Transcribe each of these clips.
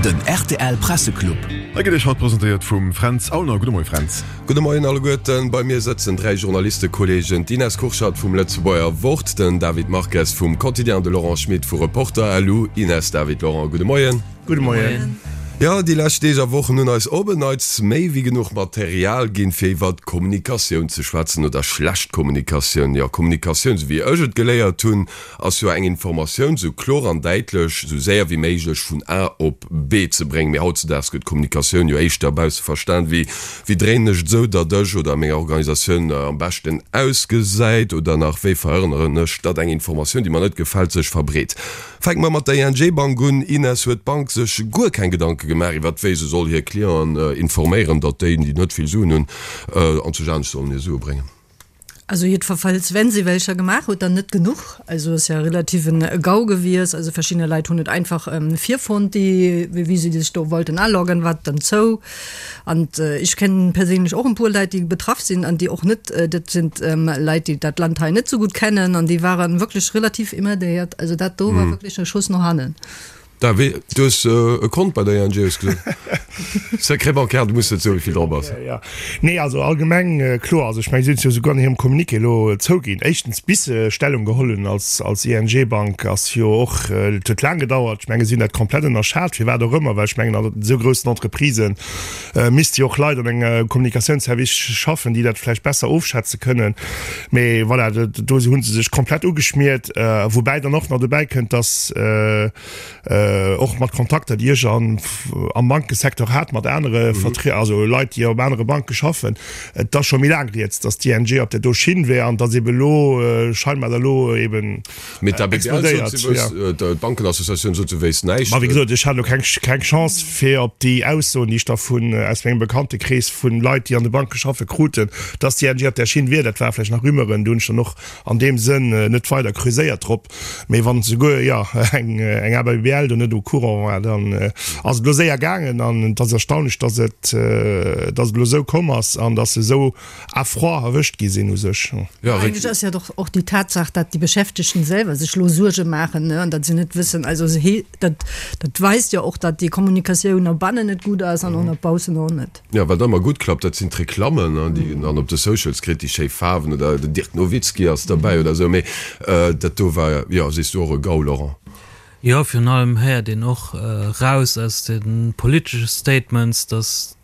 Den rtl Presseclub. Hei gëtt Iech haut presentéiert vum Fränz Aulner. Gudde Moie Fränz. Gudde Moien alleguerten. Bei mir sëtzen 3 Journalistekolleegen, d'Ines Kurschat vum Lëtzebuerger Wort, den David Marques vum Quotidien an de Laurent Schmit vu Reporter.lu. Ines, David, Laurent, gudde Moien. Gudde Moien. Jo, déi lescht Deeg a Wochen hunn eis op en Neits méi wéi genuch Material ginn, fir iwwert Kommunikatioun ze schwätzen, oder schlecht Kommunikatioun. Jo, Kommunikatioun, esou wéi ech et geléiert hunn, ass jo eng Informatioun sou kloer an däitlech, sou séier wéi méiglech vun A op B ze bréngen. Mee hautzedaags gëtt Kommunikatioun jo éischter bausse verstan wéi, wéi dréinen ech et esou, datt ech oder meng Organisatioun am beschten ausgesäit, oder nach, wéi verhënneren ech, datt eng Informatioun, déi mer net gefält, sech verbreet. Fänke mer mat der ING Bank un. Ines, huet d'Bank sech guer keng Gedanke gemaach iwwert wéi se soll hir Clienten informéieren, datt déi, déi net vill Suen hunn, anzwousch anescht sollen hir Sue bréngen? Also jiddwerfalls, wenn se welcher gemaach huet, dann net genuch. Also ass ja relativ en Gau gewies. Also verschiddener Leit hunn et einfach virfonnt, déi, wéi se sech do wollten aloggen, war et dann zou. An ech kennen perséinlech och en puer Leit, déi betraff sinn an déi och net, dat sinn Leit, déi dat Land hei net esou gutt kennen an déi waren wierklech relativ emmerdéiert. Also dat do war wierklech e Schuss no hannen. David, du hues e Kont bei der ING, hues gesot. Secret bancaire, du muss net soen, wéi vill drop ass. Jo, nee, also allgemeng kloer. Also ech mengen, si hunn et jo souguer an hirem Communiqué elo zouginn. Éischtens, bis se Stellung geholl hunn als, als ING-Bank, ass jo och, et huet laang gedauert. Ech mengen, si hunn dat komplett ënnerschat, firwat och ëmmer, well ech mengen, an esou groussen Entreprisë misste jo och Leit an engem Kommunikatiounsservice schaffen, déi dat vläicht besser ofschätze kënnen. Mee voilà, do hu se sech komplett ugeschmiert. Woubäi dann och nach dobäi kënnt, dass och mat Kontakter, déi ech am Bankesecteur hat, mat anere Vertrie-, also Leit, déi op anere Banke schaffen, et ass scho méi laang rieds, dass d'ING op där do Schinn wär an dass ebe elo scheinbar da elo eben Mee d'ABBL sot, se wëss, d'Bankenassociatioun sot, se wéisst näischt. Ma wéi gesot, ech hat elo keng, keng Chance, fir op déi Aussoen, déi ech da vun, aus mengem Bekanntekrees vun Leit, déi an de Banke schaffen, kruten, dass d'ING op där Schinn wier. Dat ware vläicht nach Rumeuren, do hunn ech dann och an deem Sënn net weider creuséiert drop, mee wann souguer, jo, eng eng ABBL do net au courant war, dann ass et elo séier gaangen an et ass erstaunlech, dass et dass et elo esou komm ass an dass se esou à froid erwëscht gi sinn u sech. Jo, Eigentlech ass jo doch och déi Tatsaach, datt déi Beschäftegten selwer sech elo Suerge maachen, ne, an datt se net wëssen, also se he dat dat weist jo och, datt déi Kommunikatioun no bannen net gutt ass an och no baussen och net. Jo, wat ëmmer gutt klappt, dat sinn d'Reklammen, déi een dann op de Socials kritt, déi schéi Faarwen oder den Dirk Nowitzki ass derbäi oder esou. Mee dat do war, jo, sees du och e Gau, Laurent? Jo, virun allem héiert een och raus aus de politesche Statements, datt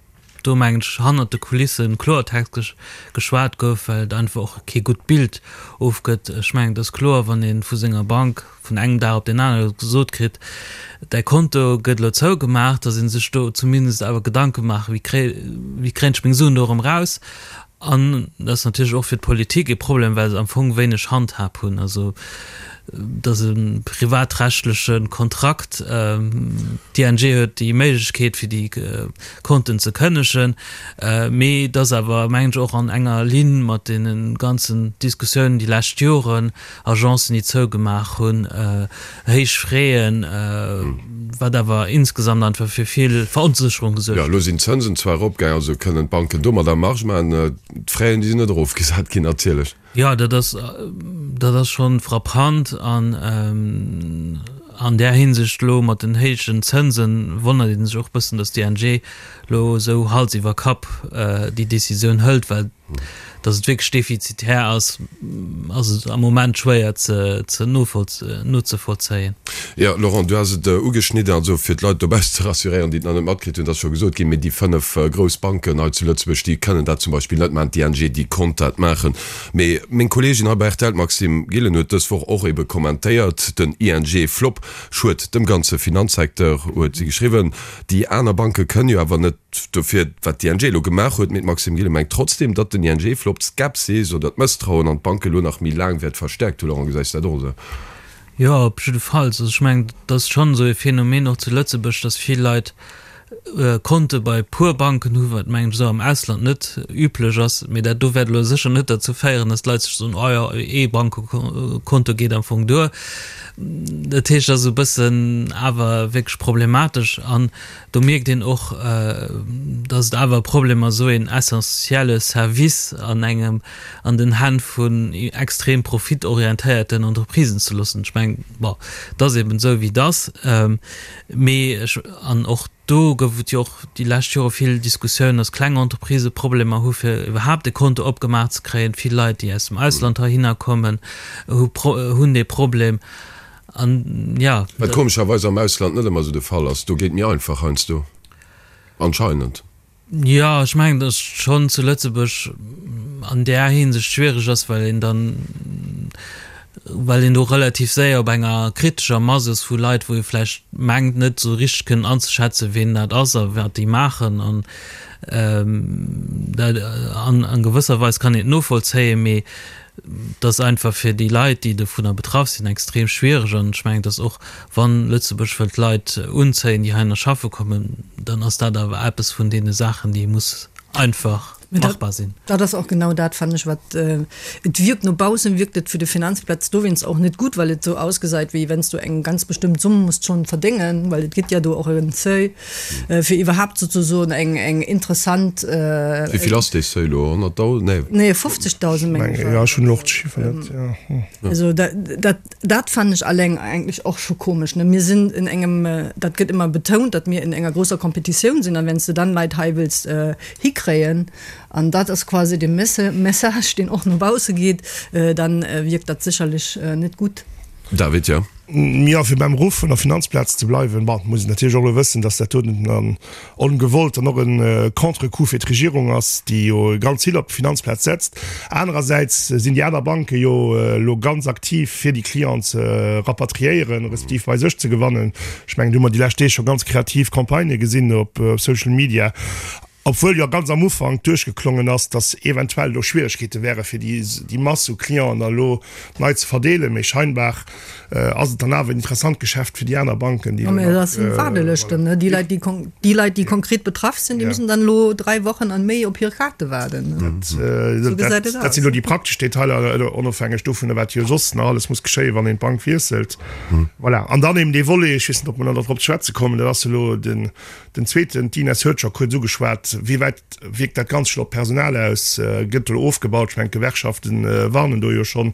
do, mengen ech, hannert de Kulisse Kloertext geschwat gouf, well et einfach och kee gutt Bild ofgëtt. Ech mengen, et ass kloer, wann ee vu senger Bank vun engem Dag op deen anere gesot kritt, däi Konto gëtt elo zougemaach, datt ee sech do zumindest awer Gedanke maacht, wéi kréi, wéi kréien ech meng Suen do erëm raus? An dat ass natierlech och fir d'Politik e Problem, well se am Fong wéineg Handhab hunn. Also et ass e privatrechtleche Kontrakt, d'ING huet déi Méiglechkeet fir déi Konten ze kënnegen, mee et ass awer, mengen ech, och an enger Linn mat deene ganzen Diskussiounen déi lescht Joren, Agencen, déi zougemaach hunn, héich Fräen, wat awer insgesamt einfach fir vill Veronsécherung gesuergt Jo, elo sinn d'Zënsen zwar eropgaangen, also kënnen d'Banken domadder Marge maachen. D'Fräen, déi sinn net erofgesat ginn natierlech. Jo, dat ass, dat ass scho frappant an an där Hinsicht elo mat den héijen Zënsen wonnert ee sech och e bëssen, datt d'ING elo esou Hals iwwer Kapp déi Decisioun hëlt, well Datt et wierklech defizitär ass, ass et am Moment schwéier ze nozevollzéien. Jo, Laurent, du has et ugeschnidden, also fir d'Leit dobaussen ze rassuréieren, déi et nach net matkritt hunn, et ass scho gesot ginn, mee déi 5 grouss Banken hei zu Lëtzebuerg, déi kënnen dat zum Beispill net maachen, d'ING, déi konnt dat maachen. Mee meng Kolleegin hei bei rtl, d'Maxime Gillen, huet dës Woch och ebe kommentéiert, den ING-Flop schued dem ganze Finanzsecteur, huet si geschriwwen. Déi aner Banke kënnen jo awer net Dofir, wat d'ING elo gemaach huet, mee d'Maxime Gillen mengt trotzdeem, datt den ING-Flop d'Skepsis oder d'Mësstrauen an d'Banke elo nach méi laang wäert verstäerkt hunn. Laurent, gesäis de dat och esou? Jo, op jiddefalls. Also ech mengen, et ass schonn esou e Phänomen och zu Lëtzebuerg, datt vill Leit. Konte bei puer Banken hu, wat mengen ech esou am Ausland net üblech ass. Mee dat do wäert elo sécher net derzou féieren, datt d'Leit sech soen, oh jo, ee Bankekonto geet am Fong duer. Dat heescht, et ass esou e bëssen awer wierklech problematesch an do mierkt een och, datt et awer e Problem ass, esou een essentielle Service an engem, an den Hänn vun extrem profitorientéierten Entreprisen ze loossen. Ech mengen, bon, et ass eben esou wéi et ass, mee ech, an och do gouf et jo och déi lescht Jore vill Diskussiounen, datt kleng Entreprisë Problemer hu fir iwwerhaapt e Konto opgemaach ze kréien. Vill Leit, déi aus dem Ausland heihinner kommen, hu hunn dee Problem. An jo. Wat komescherweis am Ausland net ëmmer esou de Fall ass. Do geet méi einfach heiansdo. Anscheinend. Jo, ech mengen, datt et schonn zu Lëtzebuerg an där Hinsicht schwiereg ass, well een dann, well een do relativ séier op enger kritescher Mass ass vu Leit, wou ee vläicht mengt, net esou richteg kënnen anzeschätzen, wien dat ass a wat déi maachen. An dat, an a gewësser Weis kann een et novollzéien, mee Et ass einfach fir déi Leit, déi dovunner betraff sinn, extrem schwiereg. An ech mengen, dass och wann Lëtzebuerg wëllt Leit unzéien, déi heihinner schaffe kommen, dann ass dat awer eppes vun deene Saachen, déi muss einfach machbar sinn. Dat ass och genau dat, fannen ech, wat et wierkt. No baussen wierkt et fir de Finanzplatz dowéinst och net gutt, well et esou ausgesäit, wéi wenn s du eng ganz bestëmmt Summ musst schonn verdéngen, well et gëtt ja do och en Seuil. Fir iwwerhaapt souzesoen eng eng interessant. Wéi vill ass dee Seuil elo? 100.000? Nee. Nee, 50.000 meng ech. Jo, ech hunn elo och d'Chiffer net, jo. Also dat, dat, dat fannen ech alleng eigentlech och scho komesch, ne. Mir sinn in engem, dat gëtt ëmmer betount, datt mir in enger grousser Competitioun sinn, an wenn s de dann Leit hei wëlls hikréien, an dat ass quasi de Message, deen och no bausse geet, dann wierkt dat sécherlech net gutt. David, jo. Jo, fir beim Ruff vun der Finanzplaz ze bleiwen, bon, muss een natierlech och elo wëssen, datt dat doten dann ongewollt dann och e Contrecoup fir d'Regierung ass, déi jo ganz vill op d'Finanzplaz setzt. Anerersäits sinn déi aner Banke jo elo ganz aktiv, fir déi Clienten ze rapatriéieren, respektiv bei sech ze gewannen. Ech mengen, do hu mer déi lescht Deeg scho ganz kreativ Campagnë gesinn op Social Media. Obwuel jo ganz am Ufank duerchgeklongen ass, datt eventuell do Schwieregkeete wäre fir déi Mass u Clienten da elo nei ze verdeelen, mee scheinbar ass et dann awer en interessant Geschäft fir déi aner Banken, déi elo nach. Dat sinn Waardelëschten, ne? Déi Leit, déi Leit, déi konkret betraff sinn, déi mussen dann elo 3 Wochen an méi op hir Kaarte waarden. Dat sinn elo déi praktesch Detailer, onofhängeg dovunner, wat jo soss nach alles muss geschéien, wann een d'Bank wiesselt. Voilà. An dann eben dee Volet, ech weess net, ob mer nach drop ze schwätze kommen, dat ass elo den, Den zweeten, d'Ines huet scho kuerz ugeschwat, Wéi wäit wierkt dat Ganzt scho op d'Personal aus? Gëtt elo ofgebaut? Ech mengen, d'Gewerkschafte warnen do jo schonn.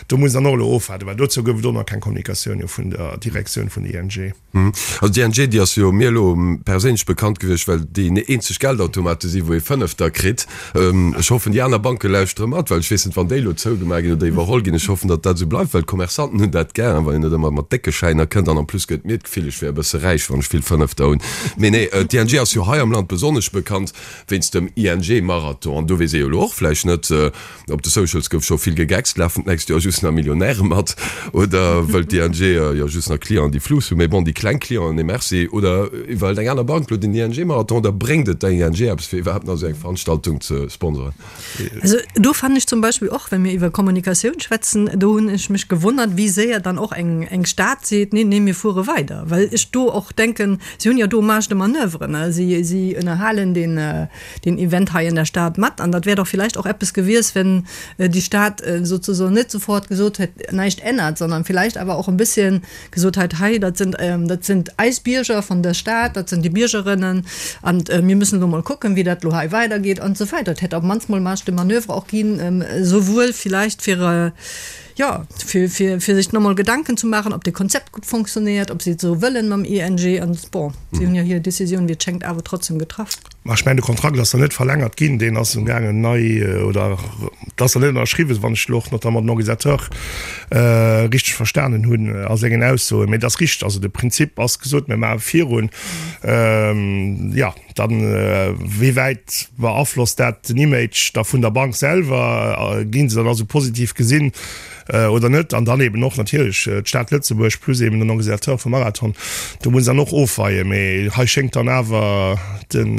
Do muss een dann och elo ofwaarden, well dozou gouf et och nach keng Kommunikatioun jo vun der Direktioun vun der ING. Also d'ING, déi ass jo mir elo perséinlech bekannt gewiescht, well déi eenzeg Geldautomate si wou ee Fënnefter kritt. Ech hoffen, déi aner Banke lauschtere mat, well ech weess net, wann déi elo zougemaach ginn oder iwwerholl ginn. Ech hoffen, datt dat esou bleift, well d'Commerçanten hunn dat gär, wann een net ëmmer mat décke Schäiner kënnt. An en plus gëtt mir d'Gefill, ech wär e bësse räich, wann ech vill Fënnefter hunn. Mee nee, d'ING ass jo hei am Land besonnesch bekannt wéinst dem ING-Marathon. An do weess ee jo elo och vläicht net, Op de Socials gouf scho vill gegeckst, lafen d'nächst Joer just nach Millionäre mat oder wëllt d'ING jo just nach Clienten, déi Flus hunn? Mee bon, déi kleng Clienten, nee merci. Oder iwwerhëlt eng aner Bank lo den ING-Marathon oder bréngt et der ING eppes, fir iwwerhaapt nach esou eng Veranstaltung ze sponsoren? Also do fannen ech zum Beispill och, wa mir iwwer Kommunikatioun schwätzen, do hunn ech mech gewonnert, wéi séier dann och eng eng Stad seet, nee, nee, mir fuere weider. Well ech do och denken, si hunn jo do Marge de manoeuvre, ne, si si ënnerhalen deen, deen Event hei in der Stad mat. An dat wär doch vielleicht och eppes gewies, wenn déi Stad sozusagen net sofort gesot hätt, näischt ännert, sondern vielleicht awer och e bësschen gesot hätt, hei, dat sind, dat sind eis Bierger von der Stad, dat sind déi Biergerinnen an mir müssen elo mol kucken, wéi dat elo hei weidergeet an esou weider. Et hätt op d'mannst mol Marge de manoeuvre och ginn, souwuel vielleicht fir, jo, fir, fir, fir sech nomol Gedanken ze maachen, ob de Konzept gutt fonctionnéiert, ob si et esou wëllen mam ING. An bon, si hunn jo hir Décisioun, wéi et schéngt, awer trotzdem getraff. Ma ech mengen, de Kontrakt ass nach net verlängert ginn, deen ass amgaangen nei, oder et ass nach net ënnerschriwwen, wann ech elo och notamment den Organisateur richteg verstanen hunn a sengen Aussoen. Mee et ass richteg, also de Prinzip ass gesot, mir maache virun. Jo. Dann, wéi wäit beaflosst dat den Image da vun der Bank selwer? Ginn se dann also positiv gesinn oder net? An dann eben och natierlech d'Stad Lëtzebuerg plus eben den Organisateur vum Marathon. Do muss een dann och ofweien. Mee hei schéngt dann awer den,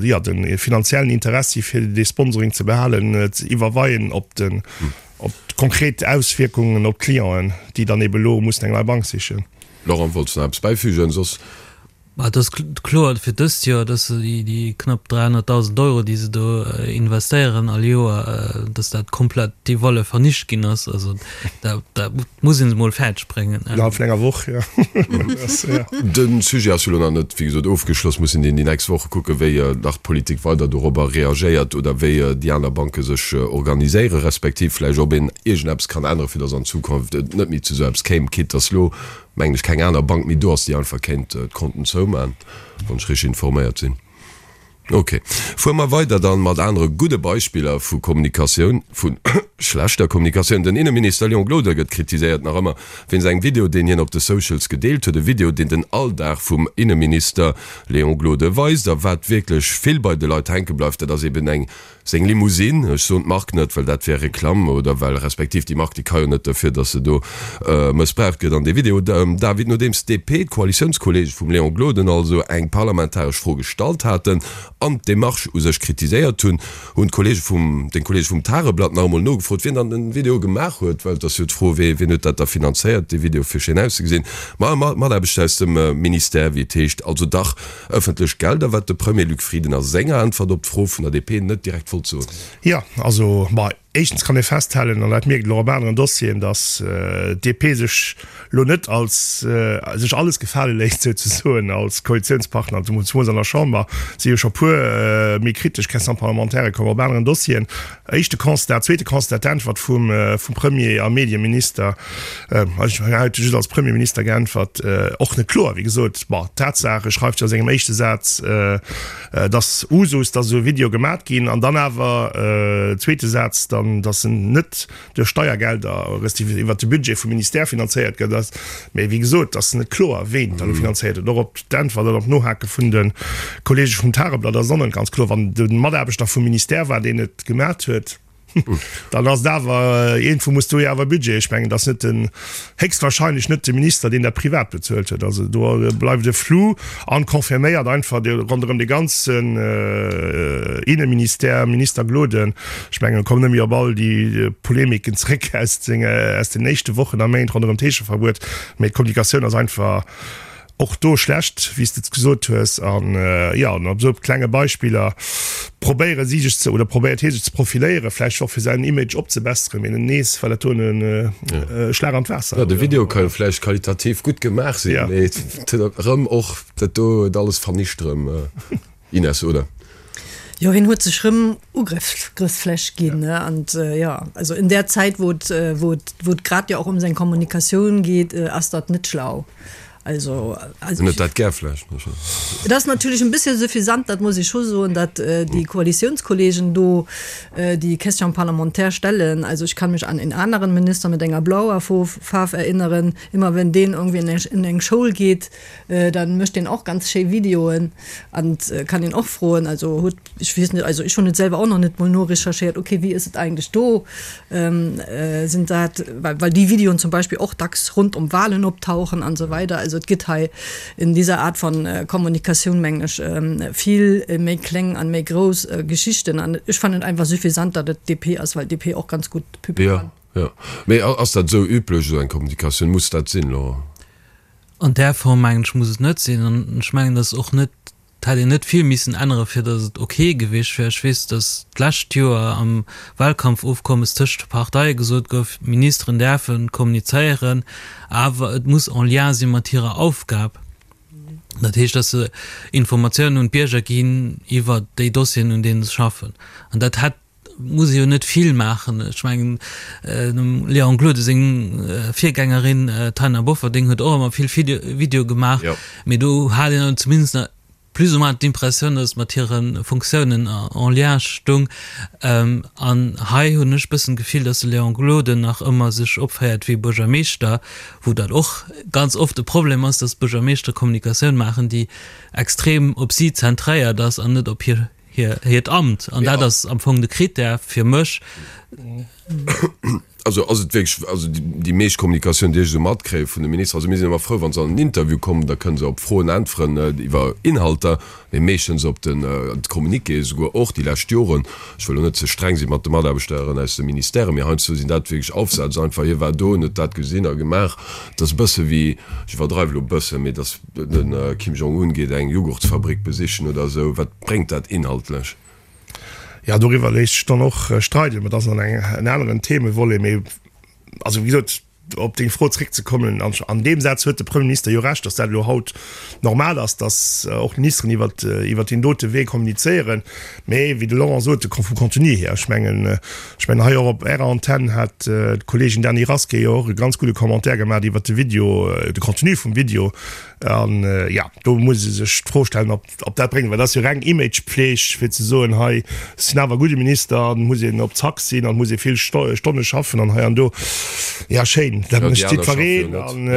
jo, de finanziellen Interessi fir dee Sponsoring ze behalen ze iwwerweien op den, op d'konkret Auswierkungen op d'Clienten, déi dann eben elo mussen eng nei Bank sichen. Laurent, wollts de nach eppes bäifügen? Soss. Et ass kloer fir dëst Joer, dass se déi knapp 300.000 Euro, déi se do investéieren all Joer, dass dat komplett déi Wolle vernicht ginn ass. Also dat muss een se mol fäerdeg bréngen. Innerhalb vun enger Woch, jo. De Sujet ass jo elo nach net, wéi gesot, ofgeschloss. Mussen een déi nächst Woche kucken, wéi nach d'Politik weider dorobber reagéiert oder wéi déi aner Banke sech organiséieren, respektiv vläicht ob een iergendeppes kann änneren, fir dass an Zukunft et net méi zu esou eppes kéim, quitte dass elo mengen ech, keng aner Bank méi do ass, déi einfach kéint d'Konten zoumachen, wann ech richteg informéiert sinn. Ok, fuere mer weider dann mat anere gudde Beispiller vu Kommunikatioun, vu schlechter Kommunikatioun. Den Inneminister Léon Gloden gëtt kritiséiert, nach ëmmer wéinst engem Video, deen hien op de Socials gedeelt huet. E Video, deen den Alldag vum Inneminister Léon Gloden weist. A wat wierklech vill bei de Leit hänke bleift, dat ass eben eng Seng Limousine, ech soen d'Mark net, well dat wär Reklamm, oder well respektiv déi Mark, déi ka jo net derfir, datt se do mëssbraucht gëtt an dee Video. David, nodeems d'DP, d'Koalitiounskolleege vum Léon Gloden also, eng parlamentaresch Fro gestallt haten an d'Demarche u sech kritiséiert hunn, hunn d'Kolleege vum, deng Kolleege vum Tageblatt nach emol nogefrot, wien dann den Video gemaach huet, well et ass jo d'Fro, wee, wien huet dat da finanzéiert, dee Video, fir schéin auszegesinn. Ma e Mataarbechter aus dem Ministère, wéi et heescht, also dach Ëffentlech Gelder, wat de Premier Luc Frieden a senger Äntwert op d'Fro vun der DP net direkt wollt soen. Jo, also, ma éischtens kann ee festhalen, an dat mierkt een och op aneren Dossieren, datt d'DP sech elo net als, sech alles gefale léisst souzesoen als Koalitiounspartner, zemools an der Chamber si jo scho puer méi kritesch Question-parlementairë komm op aneren Dossieren. Éischte Constat. Zweete Constat, d'Äntwert vum Premier a Medieminister, ech hunn haut just als Premierminister geäntwert, och net kloer, wéi gesot. Bon, d'Tatsaach, e schreift jo a sengem éischte Saz, dass Usus, dass esou e Video gemat ginn, an dann awer, zweete Saz dann, dass en net duerch Steiergelder respektiv iwwert de Budget vum Ministère finanzéiert gëtt. Mee wéi gesot, ass net kloer, ween dat elo finanzéiert huet. Och op d'Äntwert an op d'Nohake vun de Kolleege vum Tageblatt ass et och net ganz kloer. Wann de Mataarbechter vum Ministère war, deen et gemat huet, dann ass et awer, iergendwou muss do jo awer e Budget, ech mengen, et ass net den, héchstwahrscheinlech net de Minister, deen dat privat bezuelt huet. Also do bleift e Flou an confirméiert einfach ronderëm de ganzen Inneministère, Minister Gloden. Ech mengen, kommen net méi op all déi Polemiken zréck aus den éischte Wochen a Méint ronderëm d'Heescheverbuet, mee d'Kommunikatioun ass einfach och do schlecht, wéi s de et gesot hues. An jo, an op esou klenge Beispiller probéiere si sech ze, oder probéiert hie sech ze profiléieren, vläicht och fir säin Image opzebesseren, mee nees war dat do e Schlag an d'Waasser. Jo, de Video ka jo vläicht qualitativ gutt gemaach sinn, mee et huet erëm och dat do huet alles vernicht erëm. Ines, oder? Jo, hien huet sech rëm Ugrëffsfläch ginn, ne? An jo, also in der Zäit, wou et, wou et, wou et grad jo och ëm seng Kommunikatioun geet, ass dat net schlau. Also, also. Hien huet dat gär vläicht. Et ass natierlech en bëssche suffisant, dat muss ech scho soen, datt déi Koalitiounskolleegen do déi Question parlementaire stellen. Also ich kann mich an en aneren Minister mit enger blauer Faarf erinneren, immer wenn deen irgendwie in eng Schoul geet, Dann mécht deen och ganz schéi Videoen an kann een och froen, also hutt, ech weess net, also ech hunn et selwer och nach net mol norecherchéiert, okay wéi ass et eigentlech do, sinn dat, well well déi Videoen zum Beispill och dacks rund um Wahlen optauchen an esou weider. Also et gëtt hei in dieser Art von Kommunikatioun mengen ech vill méi kleng an méi grouss Geschichten an ech fannen et einfach suffisant, datt et d'DP ass, well d'DP och ganz gutt Pub kann. Jo, jo. Mee ass dat esou üblech, esou eng Kommunikatioun? Muss dat sinn, Laurent? An där Form, mengen ech, muss et net sinn. An ech mengen, dass och net, et hätt een net vill missen änneren, fir dass et ok gewiescht wär. Ech weess, dass d'lescht Joer am Wahlkampfofkommes tëscht de Parteie gesot gouf, d'Ministeren däerfe kommunizéieren, awer et muss en lien si mat hirer Aufgab. Dat heescht, dass se Informatiounen un d'Bierger ginn iwwert déi Dossieren, un deene se schaffen. An dat hätt muss ee jo net vill maachen. Ech mengen, dem Léon Gloden seng Virgängerin Taina Bofferding huet och ëmmer vill Videoe gemaach, mee do hat een zumindest nach plus ou moins d'Impressioun, datt et mat hire Funktiounen en lien stung. An hei hunn ech e bëssen d'Gefill, datt de Léon Gloden nach ëmmer sech opféiert wéi Buergermeeschter, wou dat och ganz oft e Problem ass, datt Buergermeeschtere Kommunikatioun maachen, déi extrem op si zentréiert ass an net op hir hiert Amt. An dat ass am Fong de Critère fir mech. Also ass et wierklech, also déi meescht Kommunikatioun, déi ech esou matkréie vun de Ministeren, also mir sinn ëmmer frou, wa se an en Interview kommen, da kënne se op Froen äntweren iwwer Inhalter, mee meeschtens op den Communiqué, esouguer och déi lescht Joren, ech wëll elo net ze streng si mat de Mataarbechteren aus de Ministèren, mee heiansdo sinn dat wierklech Aufsätz einfach, hie war do, en huet dat gesinn a gemaach. Et ass e bësse wéi, ech iwwerdreiw elo e bëssen, mee dass de Kim Jong-un geet eng Jughurtsfabrik besichen oder esou, wat bréngt dat inhaltlech? Jo, doriwwer léisst sech dann och streiden, mä dat ass dann en aneren Themevolet. Mee also, wéi gesot, op deng Fro zréckzekommen, an deem Saz huet de Premierminister jo Recht, datt dat elo haut normal ass, datt och d'Ministeren iwwert, iwwert deen dote Wee kommunizéieren. Mee wéi de Laurent sot, vum Contenu hier, ech mengen, ech mengen hei och op Ärer Antenn hat d'Kolleegin Dany Rasqué jo och e ganz gudde Commentaire gemaach iwwert de Video, de Contenu vum Video. An, jo, do muss ee sech d'Fro stellen, ob, Ob dat bréngt, well dat ass jo reng Imagepfleg, fir ze soen, hei, ech sinn awer e gudde Minister an et muss een op Zack sinn an et muss ee vill Stonne schaffen an hei an do. Ja, schéin, dat mécht jiddwereen an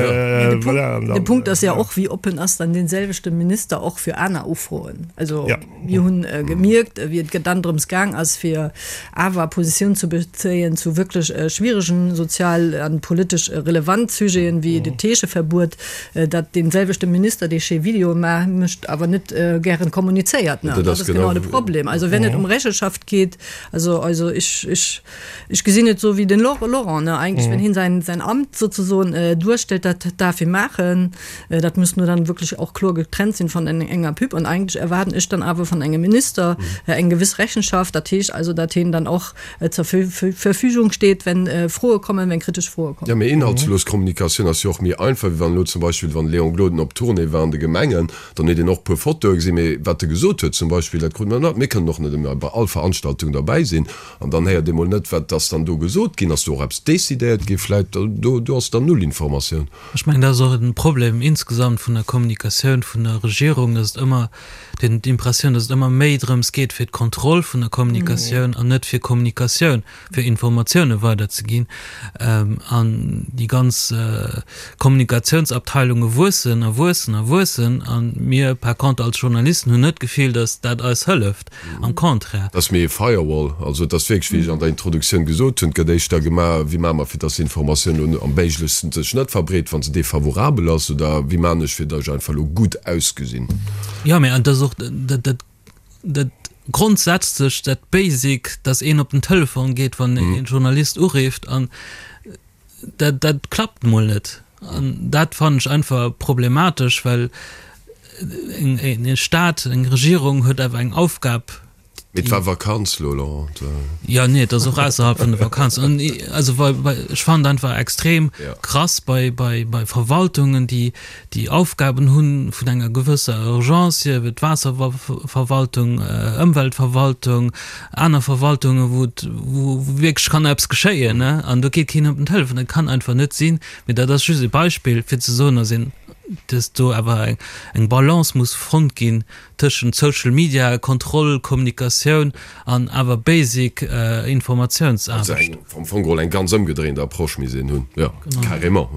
voilà. De Punkt ass ja och, wéi oppen ass dann dee selwechte Minister och fir aner Ufroen? Also mir hunn gemierkt, wéi et dann drëms gaang ass, fir awer Positioun ze bezéien zu wierklech schwieregen sozial an politesch relevant Sujeten, wéi de Teecheverbuet, datt dee selwechte Minister, dee schéi Videoe mécht, awer net gären kommunizéiert. Dat ass genau de Problem. Also wenn et ëm Rechenschaft geet, also also ech ech ech gesinn et esou wéi den Laurent, ne, eigentlech wenn hien säin säin Amt sozesoen duerstellt, dat darf hie maachen, dat muss nur dann wirklich och kloer getrennt sinn von enger Pub. An eigentlech erwaarden ech dann awer von engem Minister eng gewiss Rechenschaft, dat heescht also, datt hien dann och zur Verfügung steet, wenn Froe kommen, wenn kritesch Froe kommen. Jo, mee inhaltslos Kommunikatioun ass jo och méi einfach, wéi wann elo zum Beispill, wann de Léon Gloden op Tournée war an de Gemengen, dann huet een och e puer Fotoe gesinn, mee wat e gesot huet zum Beispill, dat krut mer net. Mir kënnen och net ëmmer bei all Veranstaltung derbäi sinn an dann héiert ee mol net, wat ass dann do gesot ginn, ass do och eppes decidéiert gi vläicht, do do ass dann null Informatioun. Ech mengen, dat ass och e Problem insgesamt vun der Kommunikatioun vun der Regierung, dass et ëmmer den d'Impressioun, dass et ëmmer méi drëms geet fir d'Kontroll vun der Kommunikatioun an net fir Kommunikatioun, fir Informatioune weiderzeginn. An déi ganz Kommunikatiounsabteilunge wuessen a wuessen a wuessen a mir par contre als Journalisten hunn net d'Gefill, dass dat eis hëlleft, am Contraire. Et ass méi e Firewall. Also et ass wierklech, wéi ech an der Introduktioun gesot hunn, et gëtt éischter gemaach, wéi maache mer, fir dass d'Informatioun elo am méiglechsten sech net verbreet, wa se defavorabel ass, oder wéi maachen ech, fir dass ech einfach elo gutt ausgesinn. Jo, mä et ass och dat, dat, dat Grondsätzlecht, dat Basic, dass een op den Telefon geet, wann e Journalist urifft, an dat, dat klappt mol net. An dat fannen ech einfach problematesch, well en e Staat, eng Regierung huet awer eng Aufgab. Mee et war Vakanz lo, Laurent. Jo, nee, et ass och ausserhalb vun der Vakanz. An also bei, bei, ech fannen et einfach extrem krass bei, bei, bei Verwaltungen, déi, déi Aufgaben hunn vun enger gewësser Urgence, sief et Waasserverwaltung, Ëmweltverwaltung, aner Verwaltungen, wou et, wou wierklech kann eppes geschéien, ne, an do geet keen op den Telefon. Dat kann einfach net sinn. Mee dat ass just e Beispill, fir ze soen, dass een, dass do awer eng Balance muss fonnt ginn tëschent Social Media, Kontroll, Kommunikatioun an awer basic Informatiounsaarbecht. Also eng, am Fong geholl eng ganz ëmgedréint Approche misst een hunn, jo, carrément.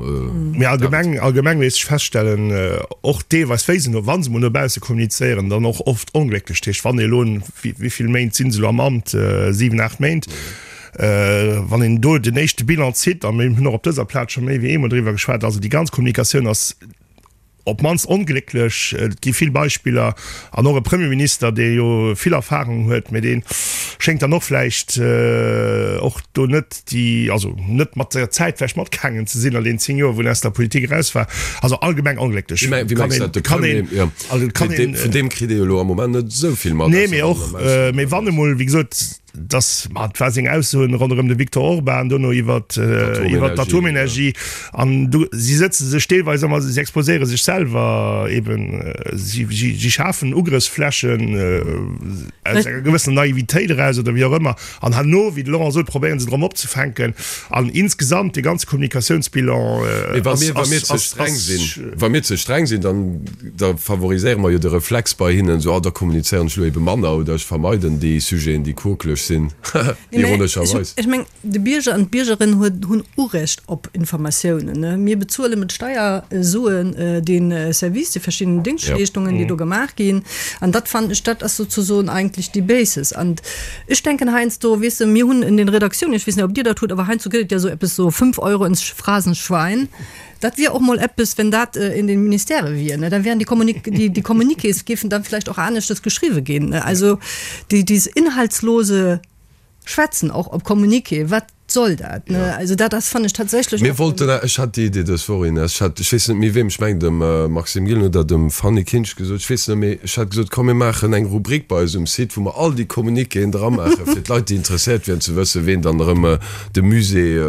Mee allgemeng, allgemeng léisst sech feststellen, och deelweis wéi se no, wa se mol no bausse kommunizéieren, dann och oft onglécklech. Dat heescht, wann ee elo, wéi vill Méint si se elo am Amt, 7, 8 Méint, wann een do den éischte Bilan zitt, a mir hunn och op dëser Plaz scho méi wéi eemol driwwer geschwat, also déi ganz Kommunikatioun ass op d'mannst onglécklech. Et gi vill Beispiller an och e Premierminister, dee jo vill Erfahrung huet, mee dee schéngt dann och vläicht och do net déi, also net mat der Zäit vläicht matgaangen ze sinn an deenen 10 Joer, wou en aus der Politik eraus war. Also allgemeng onglécklech. Wéi mengs du dat? De Premier, jo, vun deem kritt ee jo elo am Moment net esou vill mat. Nee, mee och, mee wann emol, wéi gesot, dass, ma et war seng Aussoen ronderëm de Viktor Orban, dono iwwer iwwer d'Atomenergie an do si sëtze sech deelweis ëmmer, si exposéiere sech selwer eben, si si schafen Ugrëffsflächen aus enger gewëssener Naivitéit eraus oder wéi och ëmmer an herno, wéi de Laurent sot, probéiere se drëm opzefänken an insgesamt dee ganze Kommunikatiounsbilan ass, ass, ass, ass. Wa mir ze streng sinn, dann da favoriséiere mer jo de Reflex bei hinnen, esou, ah, da kommunizéieren ech elo ebe manner oder ech vermeiden déi Sujeten, déi quokeleg. sinn, ironescherweis. Ech meng, de Bierger an d'Biergerin huet, hunn Urecht op Informatiounen. Mir bezuele mat Steiersuen dee Service, déi verschidden Déngschtleeschtungen, déi do gemaach ginn. An dat fannen ech, dat ass sozesoen eigentlech déi Basis. An ech denken heiansdo, weess de, mir hunn in den Redaktiounen, ech weess net, ob Dir dat hutt, awer heiansdo gëtt et ja esou eppes, so 5 Euro ins Phrasenschwein. Dat wier och mol eppes, wenn dat in den Ministèrë wier, ne, dann wären déi Kommunik, déi, déi Communiqués géifen dann vielleicht och aneschtes geschriwwe ginn, ne. Also déi, dieses inhaltslose Schwätzen och op Communiqué, wat soll dat, ne? Also dat ass, fannen ech tatsächlech Mir wollten, ech hat déi Idee dës Woch, Ines, ech hat, ech weess net méi weem, ech mengen dem Maxime Gillen oder dem Fanny Kinsch gesot, ech weess net méi, ech hat gesot, komm mir maachen eng Rubrik bei eis um Site, wou mer all déi Communiquéen dramaachen, fir d'Leit, déi interesséiert wieren, ze wëssen, ween dann erëm de Musée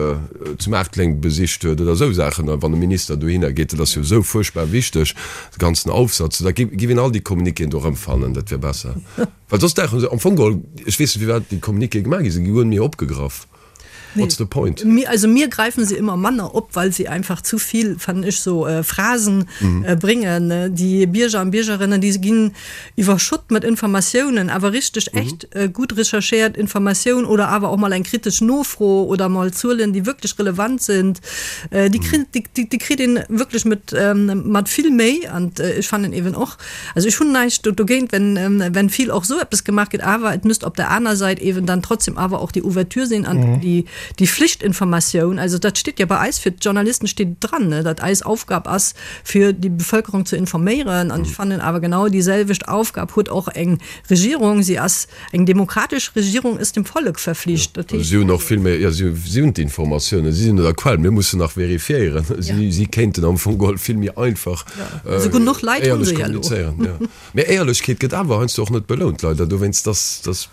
zu Maarteleng besicht huet oder esou Saachen, a wann e Minister dohinner geet, dat ass jo esou fuerchtbar wichteg, de ganzen Aufsatz, da giff een all déi Communiquéen do erëmfannen, dat wier besser. Well soss dauchen se am Fong geholl, ech weess net firwat déi Communiquéë gemaach gi sinn, gi guer net méi opgegraff. What's the point? Mir, also mir greifen se immer manner op, weil sie einfach zu viel, fand ech, so Phrasen bringen. Déi Bierger an Biergerinnen, déi ginn iwwerschott mat Informatiounen, awer richteg echt gutt recherchéiert Informatioun oder awer och mol eng kritesch Nofro oder mol Zuelen, déi wierklech relevant sinn, déi kritt, déi kritt een wierklech mat, mat vill Méi. An ech fannen eeben och, also ech hunn näischt dogéint, wenn, wenn vill och esou eppes gemaach gëtt, awer et müsst op der aner Säit eeben dann trotzdem awer och déi Ouverture sinn an déi, déi Flichtinformatioun. Also dat steet jo bei eis, fir d'Journalisten steet et dran, ne, datt eis Aufgab ass, fir déi Bevölkerung ze informéieren. An ech fannen awer genau déi selwecht Aufgab huet och eng Regierung. Si ass, eng demokratesch Regierung ist dem Volk verflicht. Dat heescht. Si hunn och vill méi, jo, si si hunn d'Informatiounen, si sinn un der Quell, mir mussen nach vérifiéieren. Si si kéinten am Fong geholl vill méi einfach Also genuch Leit hu éierlech se ja elo. kommunizéieren, jo. Mee Éierlechkeet gëtt awer heiansdo och net belount, leider. Dowéinst, dass, dass.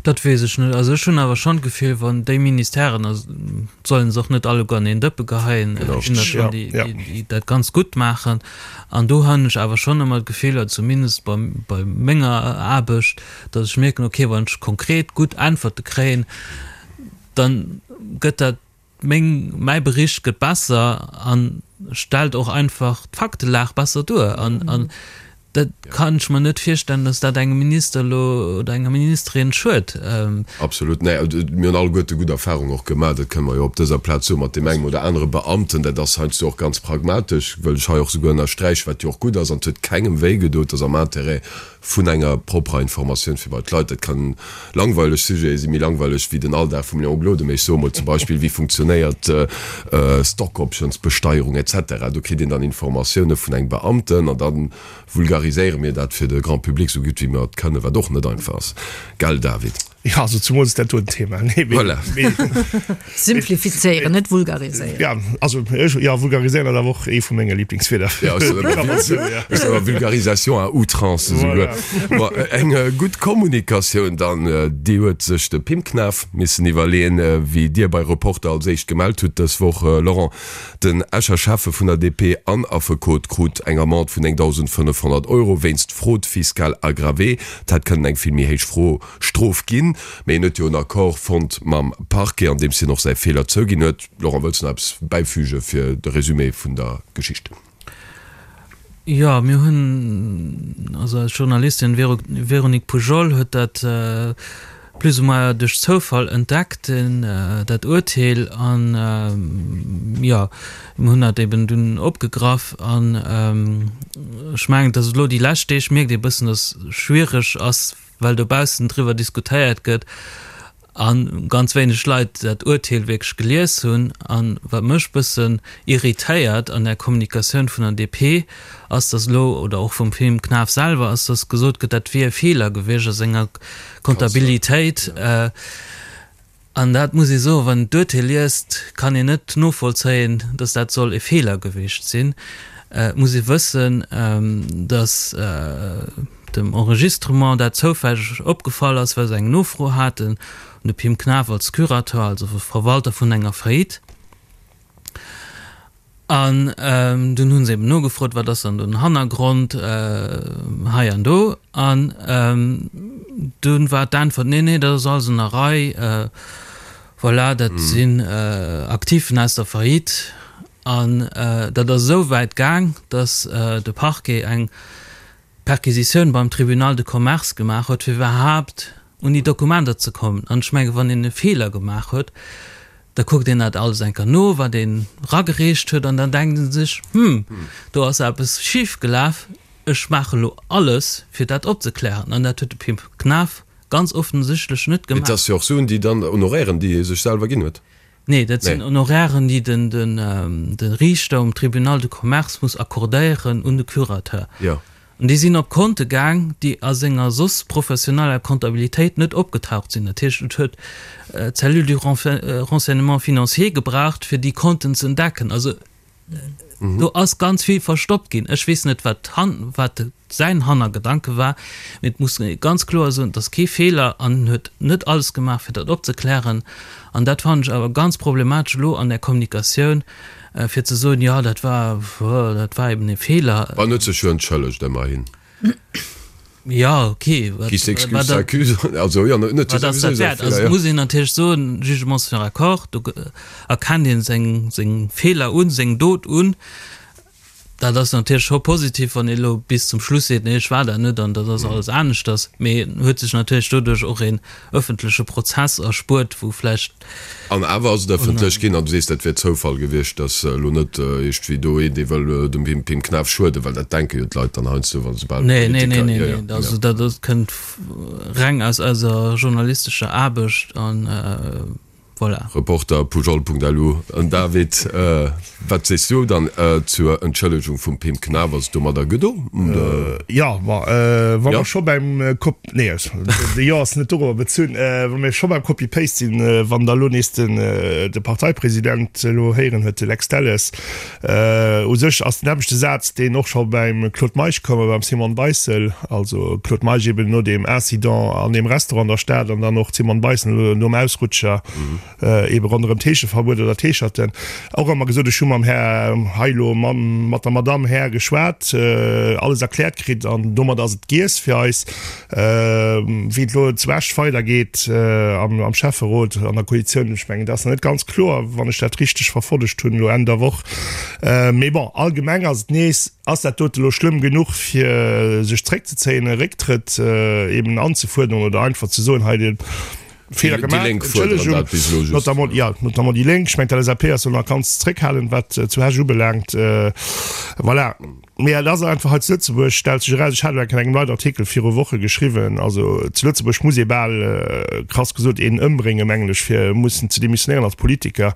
Dat weess ech net. Also ech hunn awer schonn d'Gefill, wann déi Ministèren, a solle se och net alleguer an een Dëppe geheien, et ginn der schonn, déi, déi dat ganz gutt maachen. An do hunn ech awer schonn ëmmer d'Gefill, oder zumindest bei, bei menger Aarbecht, datt ech mierken, okay, wann ech konkret gutt Äntwerte kréien, dann gëtt dat, Meng, mäi Bericht gëtt besser a stellt och einfach d'Faktelag besser duer. An, an dat kann ech mer net virstellen, datt dat engem Minister elo oder enger Ministerin schued. Absolut. Nee, mir hunn alleguerte gutt Erfahrungen och gemaach, dat kënne mer jo op dëser Plaz soen, mat deem engem oder anere Beamten. Dat ass heiansdo och ganz pragmatesch, wëll ech hei och souguer ënnersträichen, wat jo och gutt ass an et huet kengem wéi gedoen, et ass am Intérêt vun enger propperer Informatioun fir bei d'Leit. Dat kann langweileg Sujete sinn, méi langweileg wéi den Alldag vum Léon Gloden, mee ech soe mol zum Beispill, wéi funktionéiert Stock-Options-Besteierung et cetera. Do kritt een dann Informatioune vun engem Beamten an da vulgariséiere mir dat fir de Grand public esou gutt wéi mer et kënnen, wat och net einfach ass, gell David? Jo, also zumools dat doten Thema. Nee, mee, Voilà. mee, Simplifizéieren, net vulgariséieren. Ja, also ech, jo, vulgariséieren ass awer och ee vu menge Lieblingswierder. Ja, ech soen ëmmer, ech soen ëmmer Vulgarisation à outrance esouguer. Voilà. Bon, eng gutt Kommunikatioun dann, déi huet sech de Pim Knaff missen iwwerleeën, wéi Dir bei Reporter als éischt gemellt hutt dës Woch, Laurent. Den Escher Schäffe vun der DP an Affekot krut eng Amende vun 9.500 Euro wéinst Fraude fiscale aggravée. Et hätt kënnen eng vill méi héich Fro Strof ginn, mee en huet jo en Accord fonnt mam Parquet, an deems hien och säi Feeler zouginn huet. Laurent, wëlls de nach eppes bäifüge fir de Résumé vun der Geschicht? Jo, mir hunn, also eis Journalistin Véronique Poujol huet dat plus ou moins duerch Zoufall entdeckt, dat Urteel, an jo, mir hunn dat eben dunn opgegraff. An ech mengen, dass et elo déi lescht Deeg mierkt ee bëssen, dass schwiereg ass, well dobaussen driwwer diskutéiert gëtt a ganz wéineg Leit dat Urteel wierklech gelies hunn. A wat mech bëssen irritéiert an der Kommunikatioun vun der DP ass, datt elo, oder och vum Pim Knaff selwer, ass, datt gesot gëtt, dat wier e Feeler gewiescht a senger Comptabilitéit. An dat muss ee soen, wann een d'Urteel liest, kann een net novollzéien, datt dat soll e Feeler gewiescht sinn. Et muss ee wëssen, datt dem Enregistrement dat zoufälleg opgefall ass, well se eng Nofro haten un de Pim Knaff als Curateur, also Verwalter vun enger Faillite. An dunn hu se eben nogefrot, wat ass dann den Hannergrond hei an do. An dunn war d'Äntwert, nee, nee, dat ass alles an der Rei, voilà, dat sinn Aktiven aus der Faillite. An dat ass esou wäit gaang, datt de Parquet eng Perquisitioun beim Tribunal de Commerce gemaach huet, fir iwwerhaapt. un déi Dokumenter ze kommen. An ech menge wann een e Feeler gemaach huet, da kuckt een dat alles eng Kéier no, wat een eragereecht huet, an dann denkt ee sech, Hm, do ass eppes schif gelaf, ech maache lo alles, fir dat opzeklären. An dat huet de Pim Knaff ganz offensichtlech net gemaach. Et ass jo och Suen, déi dann, Honorairen, déi hie sech selwer ginn huet. Nee, dat sinn Honorairen, déi de Riichter um Tribunal de Commerce muss accordéieren un de Curateur. An déi sinn op Konte gaang, déi a senger soss professioneller Comptabilitéit net opgetaucht sinn. Dat heescht, et huet d'Cellule du renseignement financier gebraucht, fir déi Konten ze entdecken. Also do ass ganz vill verstoppt ginn. Ech weess net, wat wat säin Hannergedanke war, mee et muss ee ganz kloer soen, et ass kee Feeler an en huet net alles gemaach, fir dat opzeklären. An dat fannen ech awer ganz problematesch elo an der Kommunikatioun, fir ze soen, jo dat war, dat war eben e Feeler. En huet sech jo entschëllegt, ëmmerhin. Jo, ok. Qui s'excuse s'accuse. Also jo, en huet jo souwisou säi Feeler, jo. Also et muss een natierlech soen, Jugement sur accord, do erkennt ee seng, seng Feeler un, seng Dot un. Dat ass natierlech scho positiv, wann ee elo bis zum Schluss seet, nee ech war dat net an dat ass alles aneschters. Mee en huet sech natierlech doduerch och een ëffentleche Prozess erspuert, wou vläicht. An awer ass et ëffentlech ginn. An du sees, dat wär Zoufall gewiescht, datt elo net iergendwéi do een, dee wëll dem Pim Pim Knaff schueden, well dat denke jo d'Leit dann heiansdo, wa soubal e Nee, nee, nee, nee, nee. Also dat kënnt reng aus eiser journalistescher Aarbecht an. Voilà. Reporter, Pujol.lu, An David, wat sees du dann zur Entschëllegung vum Pim Knaff? Ass et domadder gedo? Jo, ma wa mer scho beim Cop, nee, de Jo ass net dorobber bezunn, wa mir scho beim Copy-Paste sinn, wann Der elo nees de Parteipresident elo héieren huet, de Lex Delles, U sech ass den nämmlechte Saz, deen och scho beim Claude Meisch koum a beim Simone Beissel, also Claude Meisch eben no deem Incident an deem Restaurant an der Stad an dann och d'Simone Beissel elo nom Ausrutscher ebe ronderëm d'Heescheverbuet oder d'Heescherten, och ëmmer gesot, ech hu mam Här hei elo mam, mat der Madamm Här geschwat, alles erkläert kritt an domat ass et giess fir eis. Wéi et elo zu Esch weidergeet am Schäfferot, an der Koalitioun, ech mengen, dat ass nach net ganz kloer, wann ech dat richteg verfollegt hunn elo Enn der Woch. Mee bon, allgemeng ass et nees, ass dat dote elo schlëmm genuch, fir sech zréckzezéien, e Récktrëtt eben anzefuerderen oder einfach ze soen, hei de Feeler gemaach, Entschëllegung, notamment, jo, notamment déi Lénk. Ech mengen, d'LSAP ass do nach ganz zréckhalend, wat zu Esch ubelaangt. Voilà. Mee et ass einfach hei zu Lëtzebuerg, stellt sech eraus, ech hat elo eng Kéier an engem Leitartikel viru Woche geschriwwen, also zu Lëtzebuerg muss ee bal, krass gesot, een ëmbréngen, mengen ech, fir mussen ze demissionéieren als Politiker.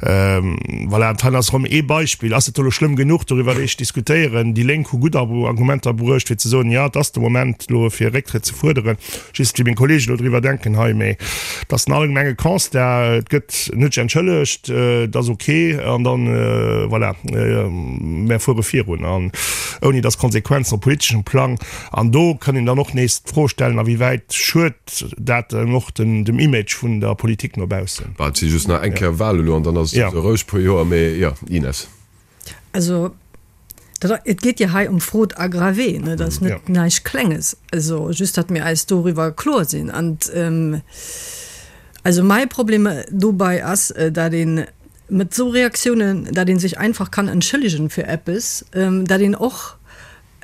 Voilà, an hei ass erëm ee Beispill. Ass et elo schlëmm genuch, doriwwer eréischt diskutéieren? Déi Lénk hu gutt Argumenter bruecht, fir ze soen, jo, et ass de Moment elo fir e Récktrëtt ze fuerderen. Just wéi meng Kollegen elo driwwer denken hei, mee et ass en allgemenge Constat, et gëtt net sech entschëllegt, et ass ok an dann, voilà, mär fuere virun an ouni datt Konsequenzen op politeschem Plang. An do kann een dann och nees d'Fro stellen, a wéi wäit schued dat dann och dem Image vun der Politik no baussen. Bah, et si just nach eng Kéier Wale elo an dann ass et esou roueg puer Joer, mee jo, Ines. Also dat, et geet jo hei ëm Fraude aggravée, ne, dat ass net näischt Klenges. Also just, datt mir eis doriwwer kloer sinn. An also mäi Problem dobei ass, dat ee mat esou Reaktiounen, dat ee sech einfach kann entschëllegen fir eppes, dat een och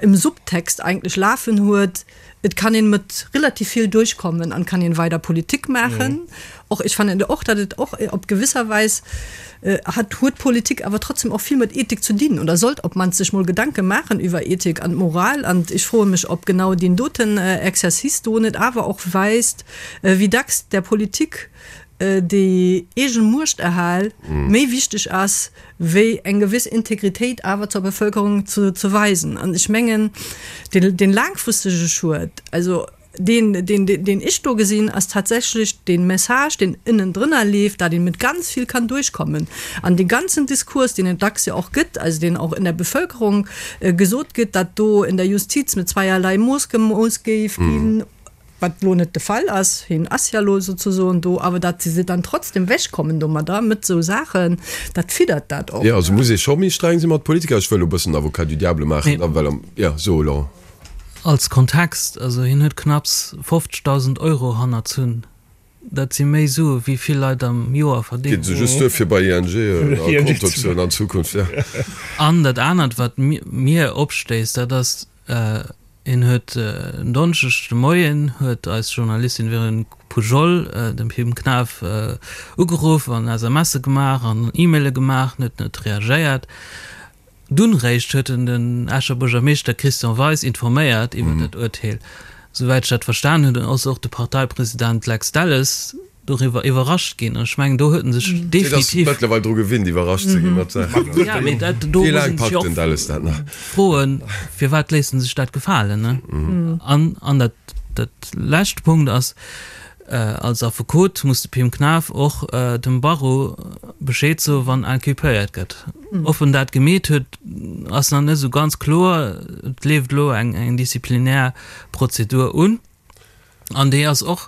im Subtext eigentlech lafen huet, et kann een mat relativ vill duerchkommen an kann een weider Politik maachen. Och ech fannen och, datt et och op gewisser Weis hat huet Politik awer trotzdem och vill mat Ethik ze dinn oder sollt op mannst sech mol Gedanke maachen iwwer Ethik an Moral. An ech froe mech, ob genau deen doten Exercice do net awer och weist, wéi dacks der Politik déi eegen Muechterhal méi wichteg ass wéi eng gewiss Integritéit awer zur Bevölkerung ze, ze weisen. An ech mengen, deen, deen laangfristege Schued, also deen, deen, deen ech do gesinn, ass tatsächlech dee Message, deen ënnendrënner leeft, dat een mit ganz vill kann duerchkommen. An dee ganzen Diskurs, deen et dacks jo och gëtt, also deen och in der Bevölkerung gesot gëtt, dat do in der Justiz mit zweierlei Mooss gemooss géif ginn, wat elo net de Fall ass, hien ass ja elo souzesoen do, awer datt se dann trotzdem wechkommen domadder, mat esou Saachen, dat fiddert dat och. Jo, also muss ee scho méi streng si mat Politiker. Ech wëll elo e bëssen Avocat du diable maachen, da well am, jo, so Laurent. Als Kontext, also hien huet knapps 50.000 Euro hannerzunn, dat si méi Sue wéi vill Leit am Joer verdéngen. Geet se just duer fir bei ING e Konto ze hunn an Zukunft, jo. An dat anert wat mir opstéisst, dat ass. En huet en Donneschdeg de Moien huet eis Journalistin Véronique Poujol dem Pim Knaff ugeruff an SMSe gemaach an E-Maile gemaach, en huet net reagéiert. Dunn réischt huet en den Escher Buergermeeschter Christian Weis informéiert iwwer dat Urteel. Souwäit ech dat verstan hunn, ass och de Parteipresident Lex Delles doriwwer iwwerrascht ginn. An ech mengen, do huet en sech definitiv. Deen ass mëttlerweil dru gewinnt, iwwerrascht ze ginn mat Saachen. Ja, mee dat, do Wéi muss laang een sech packt jo den och Delles dat nach? froen, firwat léisst en sech dat gefalen, ne? An, an dat, dat leschte Punkt ass, Als Affekot muss de Pim Knaff och dem Barreau Bescheed soen, wann inculpéiert gëtt. Ob en dat gemeet huet, ass nach net esou ganz kloer. Et leeft elo eng disziplinär Prozedur un an déi ass och,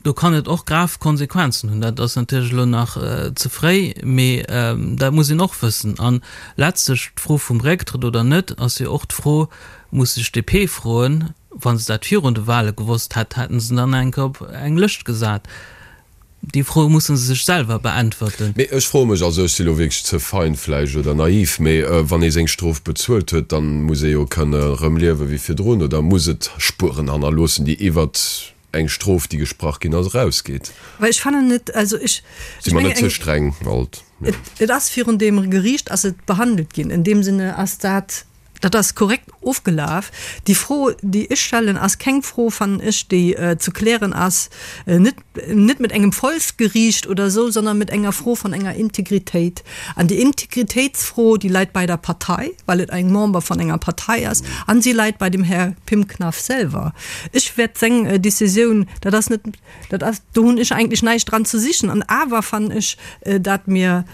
do kann et och grav Konsequenzen hunn. Dat ass natierlech elo nach ze fréi, mee dat muss een och wëssen. An letztlech d'Fro vum Récktrëtt oder net ass jo och d'Fro, muss sech d'DP froen, Wa se dat virun de Wale gewosst hätt, hätten se dann eng Kéier op eng Lëscht gesat. Déi Fro musse se sech selwer beäntwerten. Mee ech froe mech, also ech si lo wierklech ze fein vläicht oder naiv, mee wann ee seng Strof bezuelt huet, dann muss ee jo kënne rëm liewe wéi virdrun oder muss et Spueren hannerloossen, déi iwwert eng Strof, déi gesprach ginn ass, erausgeet? Well ech fannen et, also ech, Si mer net ze streng alt? Et ass virun deem Geriicht ass et behandelt ginn. In deem Sinne ass dat. Dat ass korrekt ofgelaf. Déi Fro, déi ech stellen, ass keng Fro, fannen ech, déi ze klären ass, net, net mat engem Volksgeriicht oder esou, sondern mat enger Fro vun enger Integritéit. An déi Integritéitsfro, déi läit bei der Partei, well et eng Member vun enger Partei ass, an si läit bei dem Här Pim Knaff selwer. Ech wäert seng Décisioun, dat ass net, dat ass, do hunn ech eigentlech näischt dran ze sichen. An awer fannen ech, dat mir,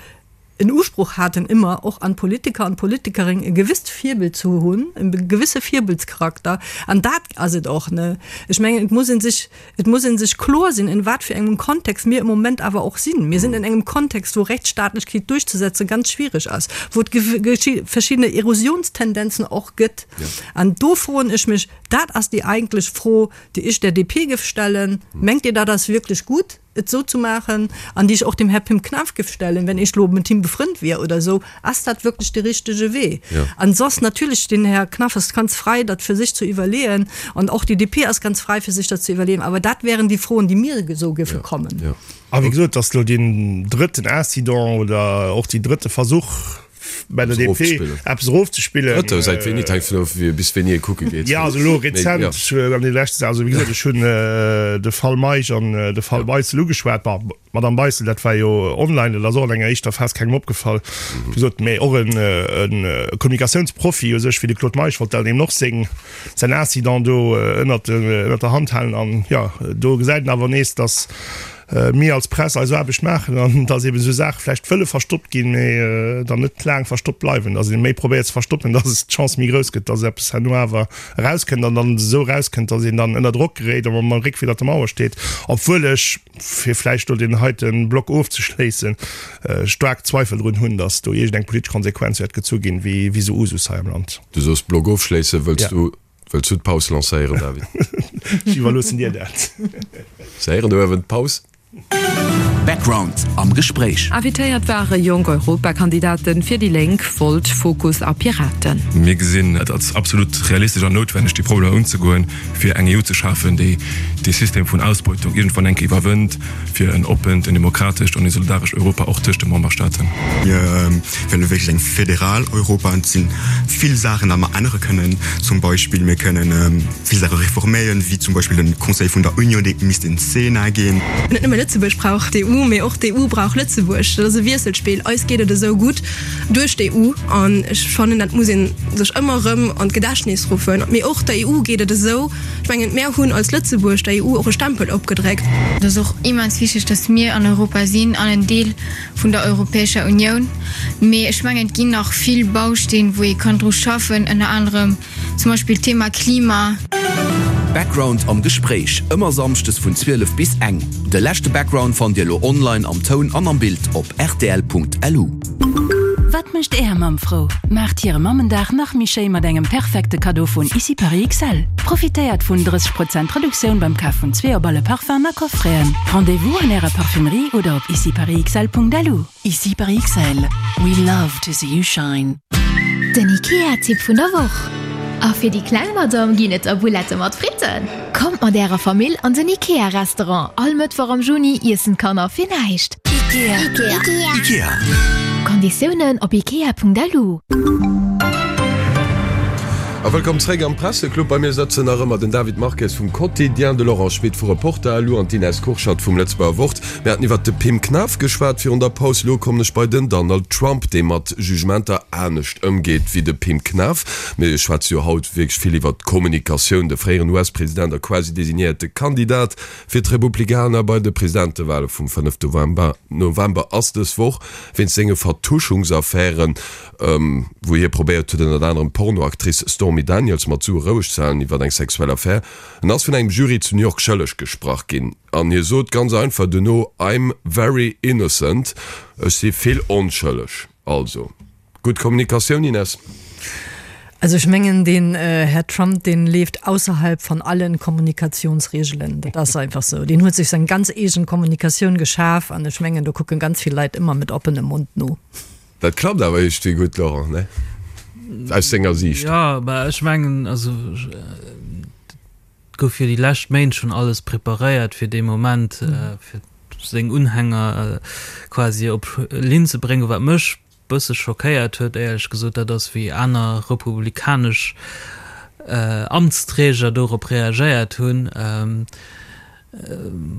en Usproch haten, ëmmer och an d'Politiker an d'Politikering e gewisst Virbild ze hunn, e gewisse Virbildscharakter. An dat ass et och, ne? Ech mengen, et muss ee sech, et muss ee sech kloer sinn, in wat fir engem Kontext mir im Moment awer och sinn. Mir sinn in engem Kontext, wou Rechtsstaatlechkeet duerchzesetze ganz schwierig ass, wou et verschiddene Erosionstendenzen och gëtt. An do froen ech mech, dat ass déi eigentlech Fro, déi ech der DP géif stellen, Mengt Dir, dat ass wierklech gutt? et esou ze maachen, an déi ech och dem Här Pim Knaff géif stellen, wenn ech elo mat him befrënnt wier oder esou, ass dat wierklech de richtege Wee? An soss natierlech, den Här Knaff ass ganz frei, dat fir sech ze iwwerleeën, an och déi DP ass ganz frei, fir sech dat ze iwwerleeën, awer dat wären déi Froen, déi mir esou géife kommen. A wéi gesot, dass elo deen drëtten Incident oder och deen drëtte Versuch, bei der DP eppes erofzespillen. Drëtte, säit wéini? Et hänkt vun of, bis wéini ee kucke geet. Jo, also elo rezent, an deene leschten, also wéi gesot, ech hunn de Fall Meisch an de Fall Beissel ugeschwat. Bon, d'Madame Beissel, dat war jo online, dat ass och an enger éischter Phas kengem opgefall, wéi gesot, mä och e Kommunikatiounsprofi u sech wéi de Claude Meisch wollt dann eben och seng, säin Incident do ënnert der Hand halen. An jo, do gesäit een awer nees, datt mir als Press eis Aarbecht maachen an dass eben esou Saache vläicht wëlle verstoppt ginn, mee dann net laang verstoppt bleiwen, dass ee méi probéiert ze verstoppen, dass d'Chance méi grouss gëtt, dass eppes herno awer erauskënnt an dann esou erauskënnt, dass een dann ënner Drock geréit a mam Réck widder der Mauer steet. Obwuel ech, fir vläicht do deen heite Block ofzeschléissen, staark Zweifel drun hunn, dass do iergendeng politesch Konsequenz wäert gezu ginn, wéi esou Usus hei am Land. Du soos Block ofschléissen, wëlls du Wëlls du d'Paus lancéieren, David? Ech iwwerloossen dir dat. Se héieren do uewen d'Paus. Background am Gespréich. Invitéiert ware jonk Europakandidaten fir déi Lénk, Volt, Fokus a Piraten. Mir gesinn et als absolut realistesch an noutwenneg, déi Problemer unzegoen, fir eng EU ze schafen, déi dee System vun Ausbeutung iergendwann eng Kéier iwwerwënnt, fir en oppent, en demokratescht an e solidarescht Europa och tëscht de Memberstaaten. Mir wëlle wierklech eng federal Europa an et sinn vill Saachen, dat mer ännere kënnen. Zum Beispill mir kënnen vill Saache reforméieren, wéi zum Beispill den Conseil vun der Union, dee misst en Sénat ginn. Net nëmme Lëtzebuerg brauch d'EU, mee och d'EU brauch Lëtzebuerg. Dat ass e Wiesselspill. Eis geet et esou gutt duerch d'EU an ech fannen, dat muss ee sech ëmmer erëm an d'Gedächtnis ruffen. Mee och der EU geet et esou. Ech mengen, mär hunn als Lëtzebuerg der EU och e Stempel opgedréckt. Et ass och immens wichteg, datt mir an Europa sinn an en Deel vun der Europäescher Unioun. Mee ech mengen, et ginn nach vill Bausteen, wou ee kann dru schaffen, ënner anerem zum Beispill d'Thema Klima. Background am Gespréich, ëmmer Samschdes vun 12 bis eng. De leschte Background fannt Dir elo online am Toun an am Bild op rtl.lu. Wat mécht Är Mamm frou? Maacht hire Mammendag nach méi schéi mat engem perfekte Kaddo vun Ici Paris XL. Profitéiert vun 30 Prozent Reduktioun beim Kaf vun zwee op alle Parfum'en a Coffreten. Rendez-vous an Ärer Parfumerie oder op iciparisxl.lu. Ici Paris XL, we love to see you shine. Den IKEA-Tipp vun der Woch. A fir déi kleng Madame ginn et da Boulettë mat Fritten. Kommt mat ärer Famill an den Ikea Restaurant, all Mëttwoch am Juni iessen d'Kanner fir näischt. Ikea. Ikea. Ikea. Konditiounen op ikea.lu. A wëllkomm zréck am Presseclub. Bei mir sëtzen nach ëmmer den David Marques vum Quotidien, de Laurent Schmit vu Reporter.lu an d'Ines Kurschat vum Lëtzebuerger Wort. Mir haten iwwert de Pim Knaff geschwat virun der Paus. Elo kommen ech bei den Donald Trump, dee mat Jugementer anescht ëmgeet wéi de Pim Knaff. Mir schwätze jo haut wierklech vill iwwert d'Kommunikatioun. De fréieren US-President a quasi designéierte Kandidat fir d'Republikaner bei de Presidentewale vum 5 November ass dës Woch wéinst senge Vertuschungsaffären, wou hie probéiert huet ënnert anerem d'Pornoactrice Stormy Daniels mat Sue roueg ze halen iwwer eng sexuell Affär. En ass vun engem Jury zu New York schëlleg gesprach ginn an hie sot ganz einfach duerno, I'm very innocent, ech si vill onschëlleg. Also gutt Kommunikatioun, Ines? Also ech mengen deen Här Trump deen leeft ausserhalb von allen Kommunikationsregelen. Dat ass einfach sou. Deen huet sech seng ganz eegen Kommunikatioun geschaf an ech mengen do kucken ganz vill Leit ëmmer met oppenem Mond no. Dat klappt awer iergendwéi gutt, Laurent, ne? Aus senger Siicht. Jo, mä ech mengen, also et gouf jo déi lescht Méint schonn alles preparéiert fir dee Moment, fir seng Unhänger quasi op Linn ze bréngen. Wat mech bësse schockéiert huet, éierlech gesot, dat ass wéi aner republikanesch Amtsträger dorop reagéiert hunn.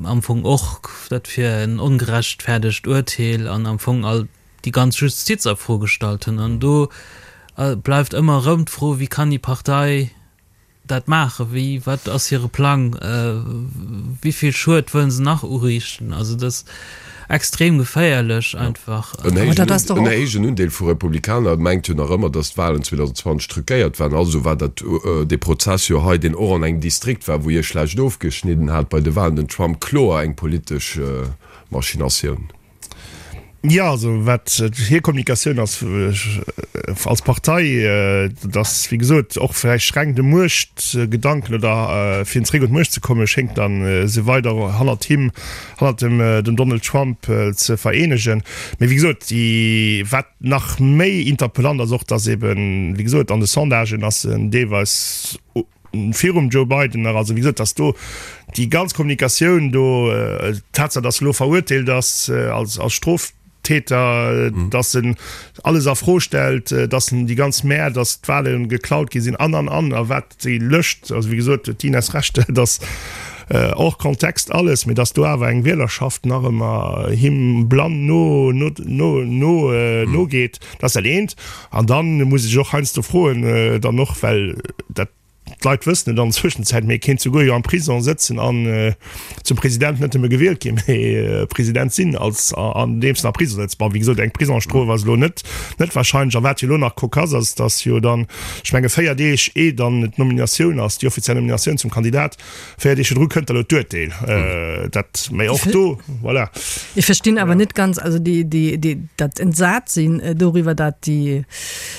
Am Fong och dat fir en ongerechtfäerdegt Urteel an am Fong all déi ganz Justiz a Fro gestallt hunn. An do bleift ëmmer erëm d'Fro, Wéi kann déi Partei dat maachen? Wéi, wat ass hire Plang? Wéi vill Schued wëllen se nach uriichten? Also dat ass extrem geféierlech einfach. En héijen Undeel vu Republikaner mengt jo nach ëmmer, datt d'Walen 2020 truquéiert waren. Also war dat dee Prozess jo hei, deen och an engem Distrikt war, wou hie schlecht ofgeschnidden hat bei de Walen, den Trump kloer eng politesch Machinatioun. Jo, also wat hir Kommunikatioun ass als Partei, dat ass wéi gesot och vläicht reng de Muechtgedanken oder fir zeréck un d'Muecht ze kommen, schéngt dann se weider hannert him, hannert dem dem Donald Trump ze vereenegen. Mee wéi gesot, déi wat nach méi interpellant ass och, datt eben wéi gesot an de Sondagen ass en deelweis, virum Joe Biden nach, also wéi gesot, datt do déi ganz Kommunikatioun do, d'Tatsaach, datt e lo verurteelt ass als als Stroftäter, datt en alles a Fro stellt, datt en déi ganz Mär, datt d'Wahle geklaut gi sinn an an an a wat déi Lëscht, also wéi gesot, huet d'Ines Recht, datt hors Kontext alles, mee datt do awer eng Wielerschaft nach ëmmer him blann no no no no nogeet. Dat ass dat eent. An da muss ee sech och heiansdo froen, dann och, well dat d'Leit wëssen et an der Zwëschenzäit, mee e kéint souguer jo am Prison sëtzen an zum President net nëmme gewielt ginn, mee President sinn, als andeems en am Prison sëtzt. Bon, wéi gesot, eng Prisongsstrof ass elo net net wahrscheinlech. A wat jo elo nach cocasse ass, datt jo dann, ech menge 4 Deeg ee dann d'Nominatioun ass, déi offiziell Nominatioun zum Kandidat, 4 Deeg virdru kënnt da lo d'Urteel. Dat, mee och do, voilà. Ech verstinn awer net ganz, also déi, déi, déi, dat Entsatsinn doriwwer, dat déi,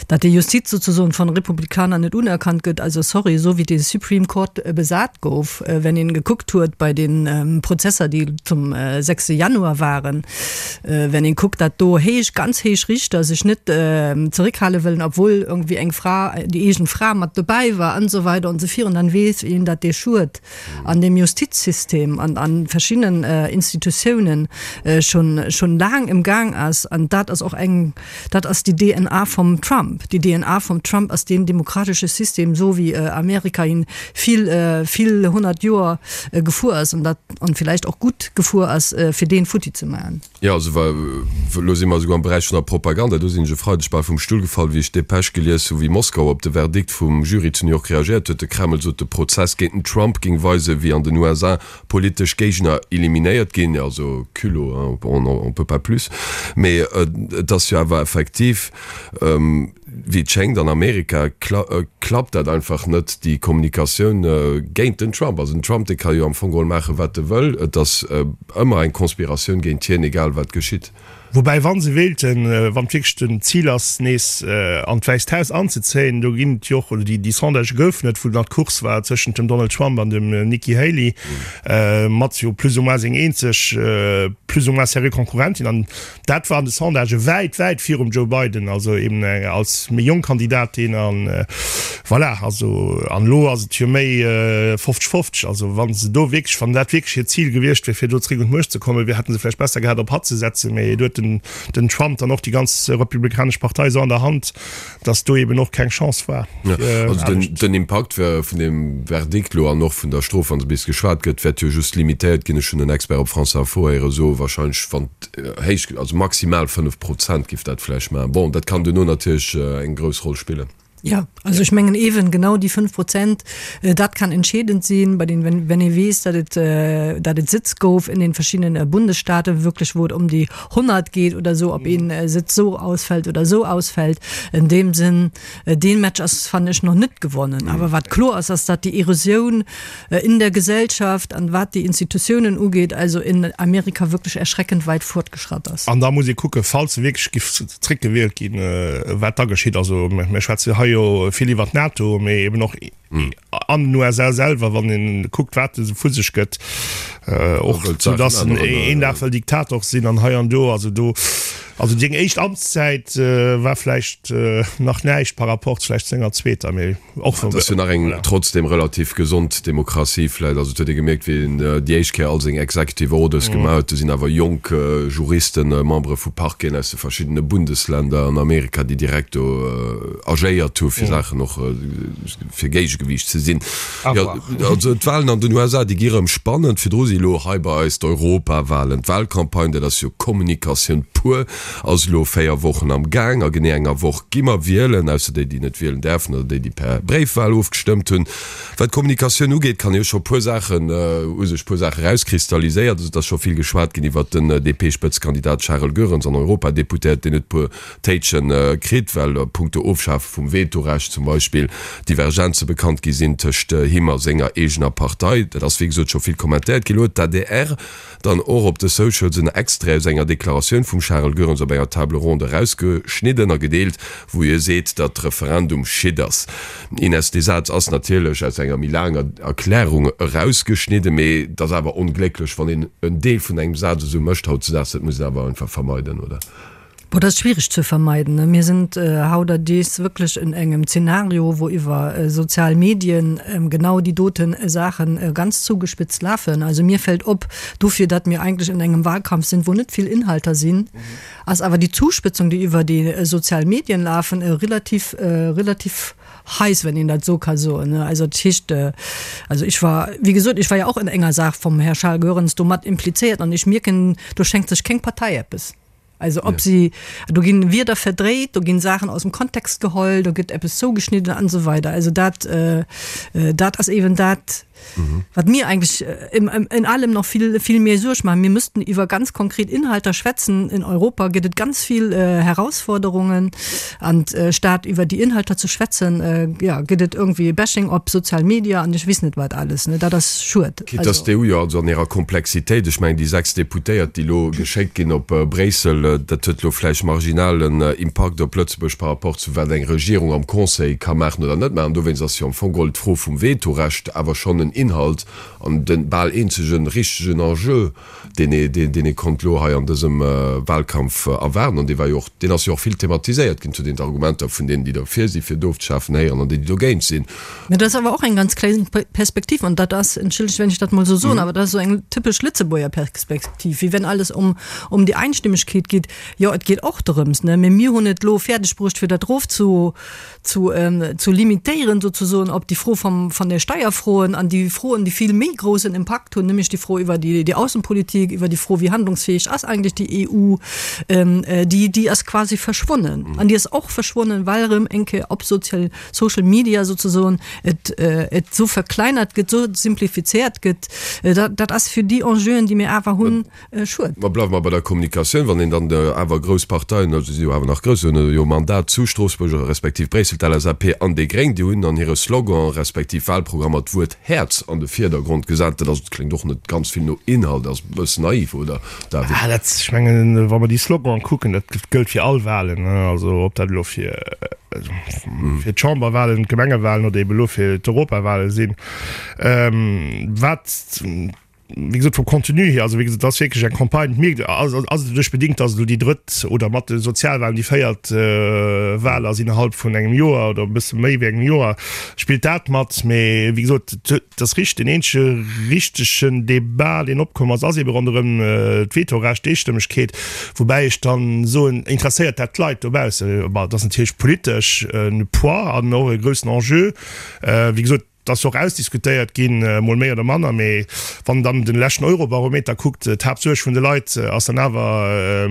dat déi Justiz sozusagen von Republikaner net unerkannt gëtt. Also sorry, esou wéi de Supreme Court besat gouf, wenn een gekuckt huet bei den Prozesser, déi zum 6 Januar waren, wenn een kuckt, dat do héich, ganz héich Richter sech net zeréckhale wëllen, obwuel irgendwie eng Fra, déi eegen Fra mat dobäi war an esou weider an esou virun, dann weess een, dat dee Schued an deem Justizsystem an an verschiddenen Institutiounen schon schon laang im Gaang ass. An dat ass och eng, dat ass déi DNA vum Trump. Déi DNA vum Trump ass deen demokratesche System, esou wéi Amerika hien vill, vill 100 Joer gefuer ass an dat an villäicht och gutt gefuer ass, fir deen futti ze maachen. Jo, also wa, elo si mer esouguer am Beräich vun der Propaganda, do sinn ech e Freideg bal vum Stull gefall, wéi ech d'Dépêche gelies hu wéi Moskau op de Verdikt vum Jury zu New York reagéiert huet. De Kreml sot, de Prozess géint den Trump géing weisen, wéi an den USA politesch Géigner eliminéiert ginn. Jo, also culot, hein, on en peut pas plus. Mee et ass jo awer effektiv, Wéi et schéngt, an Amerika klappt dat einfach net, déi Kommunikatioun géint den Trump. Also den Trump, dee ka jo am Fong geholl maachen, wat e wëll. Et ass ëmmer eng Conspiratioun géint hien, egal wat geschitt. Woubäi, wa se wéilten, wann et wierklech den Zil ass, nees an d'Wäisst Haus anzezéien, do ginn et jo och, oder déi Sondagë goufen et, wou nach d'Course war tëschent dem Donald Trump an dem Nikki Haley, mat jo plus ou moins seng eenzeg plus ou moins sérieux Konkurrentin. An dat war an de Sondagë wäit, wäit virum Joe Biden, also eben als méi jonk Kandidatin. An voilà, also an elo ass et jo méi 50, 50. Also wa se do wierklech, wann dat wierklech hiert Zil gewiescht wier, fir do zréck un d'Muecht ze kommen, wier, hätte se vläicht besser gehat op hatt ze setzen. Mee do huet den, den Trump dann och déi ganz republikanesch Partei esou an der Hand, dass do eben och keng Chance war. Ja, also den, den Impakt vun deem Verdikt elo an och vun der Strof, wa se bis geschwat gëtt, wäert jo just limitéiert ginn. Ech hunn en Expert op France Info héiere soen, wahrscheinlech wann et héich, also maximal 5 Prozent giff dat vläicht maachen. Bon, dat kann duerno natierlech eng grouss Roll spillen. Ja, also ech mengen ewen genau déi 5 Prozent, dat kann entscheedend sinn, bei den, wenn, wenn ee weess, datt et, datt et Sëtz gouf in den verschiddenen Bundesstaaten, wierklech wou et ëm déi 100 geet oder esou, ob een Sëtz esou ausfält oder esou ausfält. In deem Sënn, dee Match ass, fannen ech, nach net gewonnen. Awer wat kloer ass, ass, datt déi Erosioun in der Gesellschaft an wat déi Institutiounen ugeet, also in Amerika wierklech erschreckend weit fortgeschratt ass. An da muss ee kucken, falls se wierklech giff zréckgewielt ginn, wat da geschitt. Also mir schwätze hei jo vill iwwert d'NATO, mee eben och an den USA selwer, wann ee kuckt, wat e vu sech gëtt, och sou datt en een Dag wëll Diktator sinn an hei an do. Also do, also seng éischt Amtszäit war vläicht nach näischt par rapport vläicht zu senger zweeter, mee. Och wann. Et ass jo nach eng trotzdem relativ gesond Demokratie vläit. Also et huet ee gemierkt, wéi en déi éischt Kéier all seng Executive Orders gemaach huet, do sinn awer jonk Juristen, Membere vu Parqueten aus de verschiddene Bundesländer an Amerika, déi direkt do agéiert hu fir Saachen och fir Géigegewiicht ze sinn. Jo, also d'Wahlen an den USA, déi gi rëm spannend. Virdru si elo hei bei eis d'Europawahlen. D'Wahlcampagne, dat ass jo Kommunikatioun pur. Ass elo 4 Wochen am Gaang. A genee enger Woch gi mer wielen, ausser déi, déi net wielen däerfen oder déi, déi per Bréifwahl ofgestëmmt hunn. Wat d'Kommunikatioun ugeet, kann ee jo scho puer Saachen, hu sech puer Saache erauskristalliséiert. Also et ass scho vill geschwat ginn iwwert den DP-Spëtzekandidat Charel Goerens an Europadeputéiert, deen huet puer Téitschen kritt, well a punkto Ofschafe vum Vetorecht zum Beispill Divergenze bekannt gi sinn tëscht him a senger eegener Partei. Dat ass wéi gesot scho vill kommentéiert ginn. Elo huet d'ADR Dann och op de Socials en Extrait aus enger Deklaratioun vum Charel Goerens op enger Table ronde erausgeschnidden a gedeelt, wou hie seet, datt Referendum Shit ass. Ines, dee Saz ass natierlech aus enger méi laanger Erklärung erausgeschnidden, mee et ass awer onglécklech, wann een en Deel vun engem Saz esou mécht hautzedaags. Dat muss een awer einfach vermeiden, oder? Boah, dat ass schwierig ze vermeiden. Mir sind hauterdis wierklech en engem Zeenario, wou iwwer sozial Medien genau déi doten Saachen ganz zugespitzt lafen. Also mir fällt op, dofir datt mir eigentlech en engem Wahlkampf sinn, wou net vill Inhalter sinn, ass awer déi Zuspitzung, déi iwwer déi sozial Medien lafen, relativ, relativ heiß, wenn een dat esou ka soen. Also dat heescht, also ech war, wéi gesot, ech war jo och en enger Saach vum Här Charles Goerens do mat implizéiert an ech mierken, do schenkt sech keng Partei eppes. Also ob si, do ginn Wierder verdréit, do ginn Saachen aus dem Kontext geholl, do gëtt eppes zougeschnidden an esou weider. Also dat, dat ass eben dat, wat mir eigentlech in allem nach vill, vill méi Suerg maachen. Mir müssten iwwer ganz konkret Inhalter schwätzen. In Europa gëtt et ganz vill Herausforderungen an statt iwwer déi Inhalter ze schwätzen, jo, gëtt et irgendwie Bashing op Sozial Media an ech weess net wat alles. Dat ass schued. Quitte dass d'EU jo also an hirer Komplexitéit, ech mengen déi 6 Deputéiert, déi elo geschéckt ginn op Bréissel, dat huet elo vläicht marginalen Impakt op Lëtzebuerg par rapport zu wat eng Regierung am Conseil ka maachen oder net maachen. Dowéinst ass jo am Fong geholl d'Fro vum Vetorecht awer schonn en Inhalt an de bal eenzege richtegen Enjeu, deen ee, deen ee konnt elo hei an dësem Wahlkampf erwaarden, an dee war jo och, deen ass jo och vill thematiséiert ginn, zu deenen d'Argumenter vun deenen, déi derfir sinn, fir et ofzeschafen, héieren, an déi, déi dogéint sinn. Mä dat ass awer och eng ganz kleng Perspektiv, an dat ass, entschëllegt, wenn ech dat emol esou soen, awer dat ass esou eng typesch Lëtzebuerger Perspektiv, wéi wenn alles ëm, ëm déi Einstimmegkeet geet. Jo, et geet och dorëms, ne, mä mir hunn et elo fäerdegbruecht, fir dat erof zu, zu, zu limitéieren sozusoen op déi Fro vom, von der Steierfroen an déi Froen, déi vill méi groussen Impakt hunn, nämlech déi Fro iwwer déi, déi Aussenpolitik, iwwer déi Fro, wéi handlungsfähig ass eigentlech déi EU, déi, déi ass quasi verschwonnen. An déi ass och verschwonnen, well erëm eng Kéier op Sozial, Social Media sozusoen et, et esou verkleinert gëtt, esou simplifizéiert gëtt. Dat, dat ass fir déi Enjeuen, déi mir awer hunn, Schued. Ma bleiwe mer bei der Kommunikatioun, wann een dann awer grouss Parteien, also si jo awer nach grouss, hunn jo Mandat zu Stroossbuerg respektiv Bréissel, d'LSAP an déi Gréng, déi hunn an hire Slogan respektiv Wahlprogrammer d'Wuert Häerz. Häerz an de Virdergrond gesat. Dat ass, kléngt och net ganz vill no Inhalt, ass e bëssen naiv, oder David? Ah, dat, ech mengen, wa mer déi Sloganen kucken, dat gëllt fir all Wahlen, also ob dat elo fir, fir d'Chamberwahlen, d'Gemengewahlen oder eben elo fir d'Europawahlen sinn. Wat wéi gesot, vum Contenu hier, also wéi gesot, et ass wierklech eng Campagne, et mierkt, ass ass et doduerch bedingt, datt et elo déi drëtt oder mat de Sozialwahlen déi véiert Wahl ass innerhalb vun engem Joer oder e bësse méi wéi engem Joer, spillt dat mat. Mee wéi gesot, et ass richteg, deen eenzege richtegen Debat, deen opkomm ass, ass eebe ronderëm d'Vetorecht, d'Eestëmmegkeet, woubäi ech dann soen, interesséiert dat d'Leit dobausse? Bon, et ass natierlech politesch e Poids an och e groussen Enjeu, wéi gesot. Et ass jo och ausdiskutéiert ginn, mol méi oder manner, mee wann en dann de leschten Eurobarometer kuckt, d'Haaptsuerg vun de Leit ass dann awer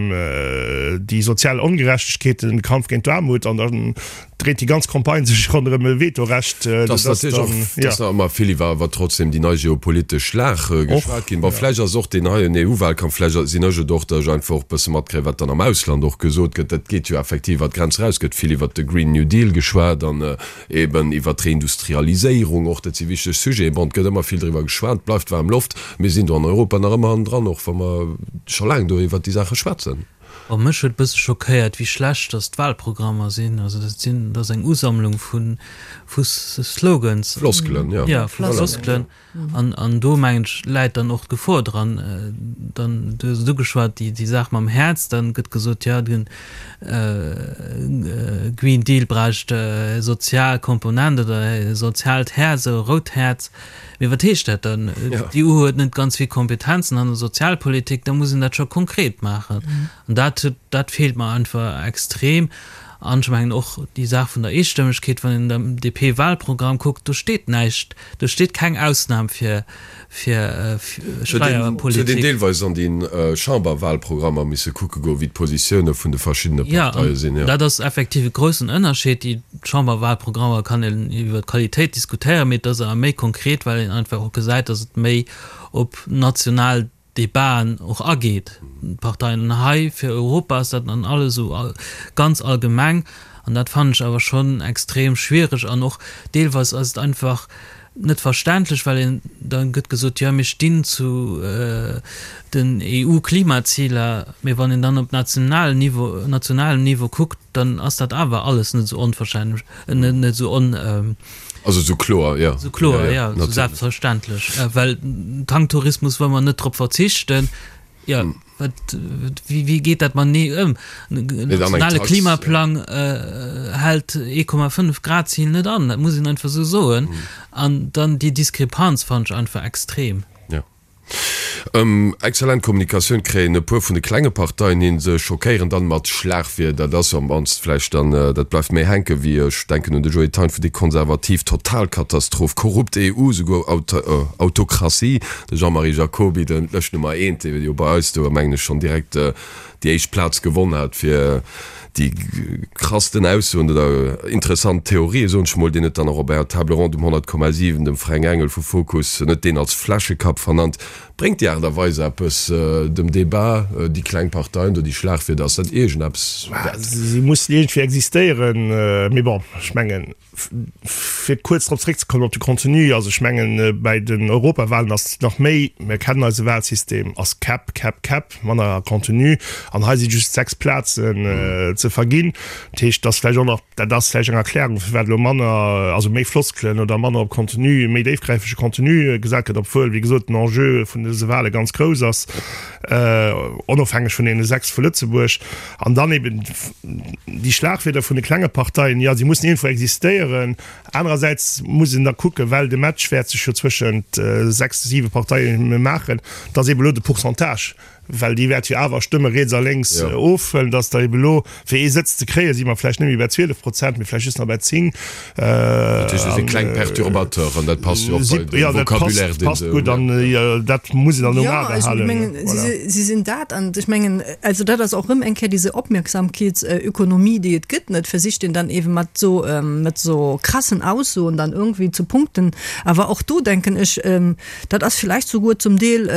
déi sozial Ongerechtegkeeten, de Kampf géint d'Aarmut an dann dréit déi ganz Campagne sech ronderëm e Vetorecht. Et ass natierlech och, et ass nach ëmmer vill iwwer awer trotzdem déi nei geopolitesch Lag geschwat ginn. Bon, vläicht ass och deen heien EU-Wahlkampf, vläicht sinn ech et och, datt ech einfach och e bësse matkréien, wat dann am Ausland och gesot gëtt. Dat geet jo effektiv iwwer d'Grenz eraus, gëtt vill iwwert de Green New Deal geschwat an Eben iwwert d'Reindustrialiséierung och, dat si wichteg Sujeten. Bon, et gëtt ëmmer vill driwwer geschwat, et bleift waarm Loft. Mir sinn do an Europa nach ëmmer hannendran, och wa mer scho laang do iwwert déi Saache schwätzen. Bon, mech huet e bësse schockéiert, wéi schlecht dass d'Wahlprogrammer sinn. Also dat sinn, dat ass eng Usammlung vu vu Slogans. Floskelen, jo. Ja, vu Floskelen. An, an do, mengen ech, läit dann och d'Gefor dran. Dann, du hues et ugeschwat, déi, déi Saach mam Häerz, dann gëtt gesot, jo, den Green Deal bräicht e sozial Komponent oder e soziaalt Häerz, e rout Häerz. Mee wat heescht dat dann? D'EU huet net ganz vill Kompetenzen an der Sozialpolitik, da muss een dat scho konkret maachen. An dat huet, dat feelt mer einfach extrem. An ech mengen och déi Saach vun der Eestëmmegkeet, wann een den DP-Wahlprogramm kuckt, do steet näischt, do steet keng Ausnam fir fir Steierpolitik. Et huet een deelweis an déi Chamberwahlprogrammer misse kucke goen, wéi d'Positioune vun de verschiddene Parteie sinn. Jo, dat ass effektiv e groussen Ënnerscheed. Déi Chamberwahlprogrammer kann een iwwer d'Qualitéit diskutéieren, mee et ass awer méi konkret, well een einfach och gesäit, datt et méi op national Debaten och ageet, d'Parteien. An hei fir Europa ass dat dann alles esou ganz allgemeng an dat fannen ech awer schonn extrem schwiereg an och deelweis ass et einfach net verständlech, well een da gëtt gesot, jo mir stinn zu den EU-Klimaziler, mee wann een dann op nationalem Niveau, nationalem Niveau kuckt, dann ass dat awer alles net esou onverständlech, net esou on. Also esou kloer, jo. Esou kloer, jo, esou selbstverständlech. Well Tanktourismus wëlle mer net drop verzichten. Jo, wat, wéi, wéi geet dat matenee ëm? En nationale Klimaplang hält 1,5 Grad Zil net an, dat muss een einfach esou soen. An dann déi Diskrepanz fannen ech einfach extrem. Jo. Exzellent Kommunikatioun kréien e puer vun de klenge Parteien hin. Se schockéieren dann mat Schlagwierder. Dat ass jo am mannst vläicht dann, dat bleift méi hänken, wéi, ech denken un de Joe Thein vun déi Konservativ, Totalkatastroph, korrupt EU, souguer Autokratie. De Jean-Marie Jacoby, den Lëscht Nummer eent, dee jo bei eis do, mengen ech, schonn direkt déi éischt Plaz gewonn hat fir déi krassten Aussoen oder interessant Theorien, soen ech mol, deen huet dann och op enger Table ronde um 100,7 dem Fränk Engel vu Fokus net deen als Fläschekapp vernannt. Bréngt déi Aart a Weis eppes dem Debat, déi kleng Parteien do, déi Schlagwierder, ass dat iergendeppes wäert? Si mussen iergendwéi existéieren, mee bon, ech mengen, Fir kuerz drop zréckzekommen, op de Contenu, also ech mengen, bäi den Europawahlen ass et nach méi, mir kennen eise Wahlsystem, ass Käpp, Käpp, Käpp, manner Contenu. An hei si just 6 Plazen ze verginn. Dat heescht, et ass vläicht och nach, dat ass vläicht eng Erklärung, firwat elo manner, also méi Floskelen oder manner op Contenu, méi déifgräifege Contenu gesat gëtt, obwuel, wéi gesot, den Enjeu vun dëse Wahle ganz grouss ass, onofhängeg vun deene 6 vu Lëtzebuerg. An dann eben déi Schlagwierder vun de klenge Parteien, jo, si mussen iergendwou existéieren. Anerersäits muss een da kucken, well de Match wäert sech jo zwëschent 6, 7 Parteie maachen, dass eeben elo de Pourcentage, well déi wäert jo awer Stëmme riets a lénks ofhuelen, dass da eeben elo, fir ee Sëtz ze kréien, si mer vläicht net méi bei 12 Prozent, mee vläicht just nach bei 10. Dat heescht, se si kleng Perturbateuren, dat passt jo och bei de Vocabulaire, deen se hunn. Passt gutt an dat muss een dann um A behalen. Jo, ech mengen, si sinn dat an ech mengen, also dat ass och erëm eng Kéier diese Opmerksamkeetsökonomie, déi et gëtt, net versicht een dann eebe mat esou, mat esou krassen Aussoen dann irgendwie zu punkten. Awer och do denken ech, dat ass vielleicht souguer zum Deel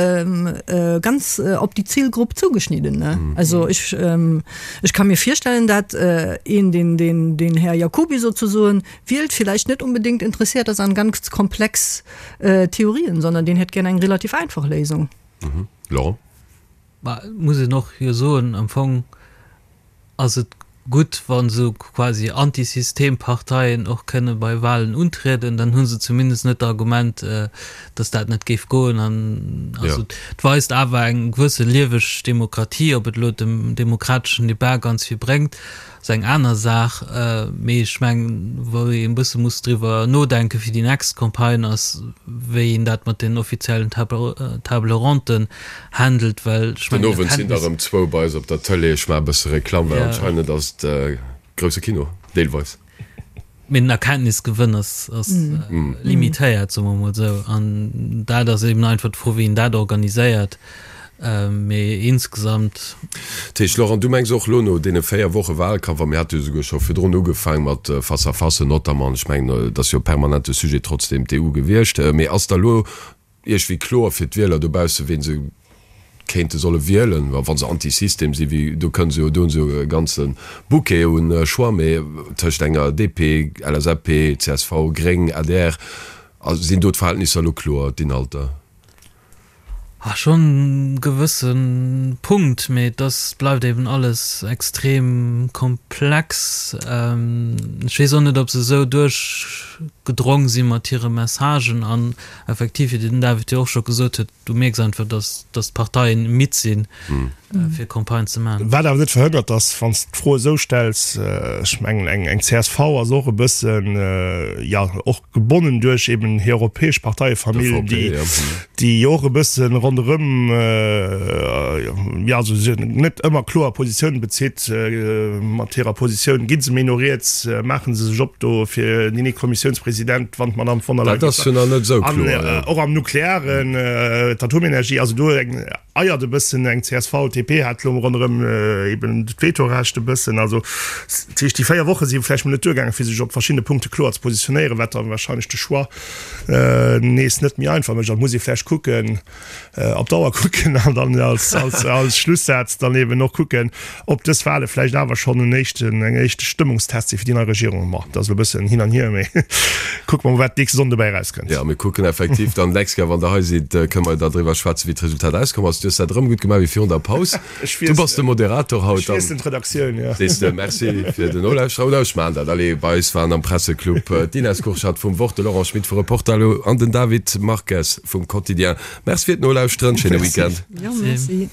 ganz op déi. die Zielgruppe zugeschnitten ne? Mhm. Also ich, ähm, ich kann mir vorstellen, dat äh, een den, den, den Herr Jacoby sozusagen wielt vielleicht net unbedingt interessiert ass an ganz komplex äh, Theorien, sondern den hätt gern eng relativ einfach Léisung. Mhm. Laurent? Mä et muss een och jo soen, am Fong ass et gutt, wa sou quasi Antisystemparteien och kënne bei Wahlen untrieden, dann hu se zumindest net d'Argument, datt dat net géif goen. An also et weist awer eng gewësse lieweg Demokratie. Ob et elo dem demokrateschen Debat ganz vill bréngt, ass eng aner Saach. Mee ech mengen, wou ee e bësse muss driwwer nodenke fir déi nächst Campagne, ass wéi een dat mat den offiziellen Table ronden handelt, well ech mengen, Den Owend sinn der erëm zwou bei eis op der Tëlee. Ech maache e bësse Reklamm, well anscheinend ass et grousse Kino, deelweis. Mee den Erkenntnisgewënn ass limitéiert, soe mer emol esou. An dat ass eben einfach d'Fro, wéi een dat organiséiert. Mee insgesamt. Dat heescht, Laurent, du mengs och elo no deene 4 Woche Wahlkampf, a mir hate jo souguer scho virdrun ugefaang mat Face-à-facen notamment, ech mengen, et ass jo permanent de Sujet trotzdem d'EU gewiescht, mee ass da elo iergwéi kloer fir d'Wieler dobausse ween se kéinte solle wielen, wa se anti-System sinn, wéi do kënne se jo, do hunn se jo e ganze Bouquet un Choix, mee tëscht enger DP, LSAP, csv, Gréng, adr, sinn do d'Verhältnisser elo kloer, d'Inhalter? Ah, schonn e gewësse Punkt, mee et ass, bleift eben alles extrem komplex. Ech weess och net, ob se esou duerchgedrong si mat hire Messagen an Effektiv, wéi den David jo och scho gesot huet, du mierks einfach, dass dass d'Parteien midd sinn, fir Campagne ze maachen. Wat awer net verhënnert, dass, wann s de d'Fro esou stells, ech mengen, eng eng csv ass och e bëssen, jo, och gebonnen duerch eben hir europäesch Parteiefamill, déi déi jo och e bësse ronderëm, jo, also se net ëmmer kloer Positiounen bezitt. Mat hirer Positioun gi se méi no riets, maache se sech op do fir den EU-Kommissiounspresident, wann d'Madame von der Leyen. Dat ass jo nach net esou kloer, jo. An och am Nuklearen, d'Atomenergie, also do eng eiert e bëssen eng csv, DP hat elo ronderëm eben d'Vetorecht e bëssen. Also dat heescht, déi 4 Woche si vläicht mol net duergaangen, fir sech op verschiddene Punkte kloer ze positionéieren, wat da wahrscheinlech de Choix nees net méi einfach mécht. An et muss ee vläicht kucken, op d'Auer kucken an dann als, als, als Schlussaz dann eben och kucken, ob dës Wahle vläicht awer schonn en éischten, eng éischte Stëmmungstest si fir déi nei Regierung. Ma dat ass elo e bëssen hin an hier, mee kucke mer mol, wat d'nächste Sonnden dobäi erauskënnt. Jo, mir kucken effektiv dann d'nächst Kéier, wann Der hei sidd, kënne mer da driwwer schwätzen, wéi d'Resultat auskomm ass. Du hues dat erëm gutt gemaach wéi virun der Paus. Du bass de Moderator haut. Ech wiesselen d'Redaktioun, jo. Sees de Merci fir den Nolauschterer. Oder ech maachen dat. Allez, bei eis waren am Presseclub d'Ines Kurschat vum Wort, de Laurent Schmit vu Reporterlo an den David Marques vum Quotidien. Merci fir d'Nolauschteren. Schéine Weekend. Jo, merci.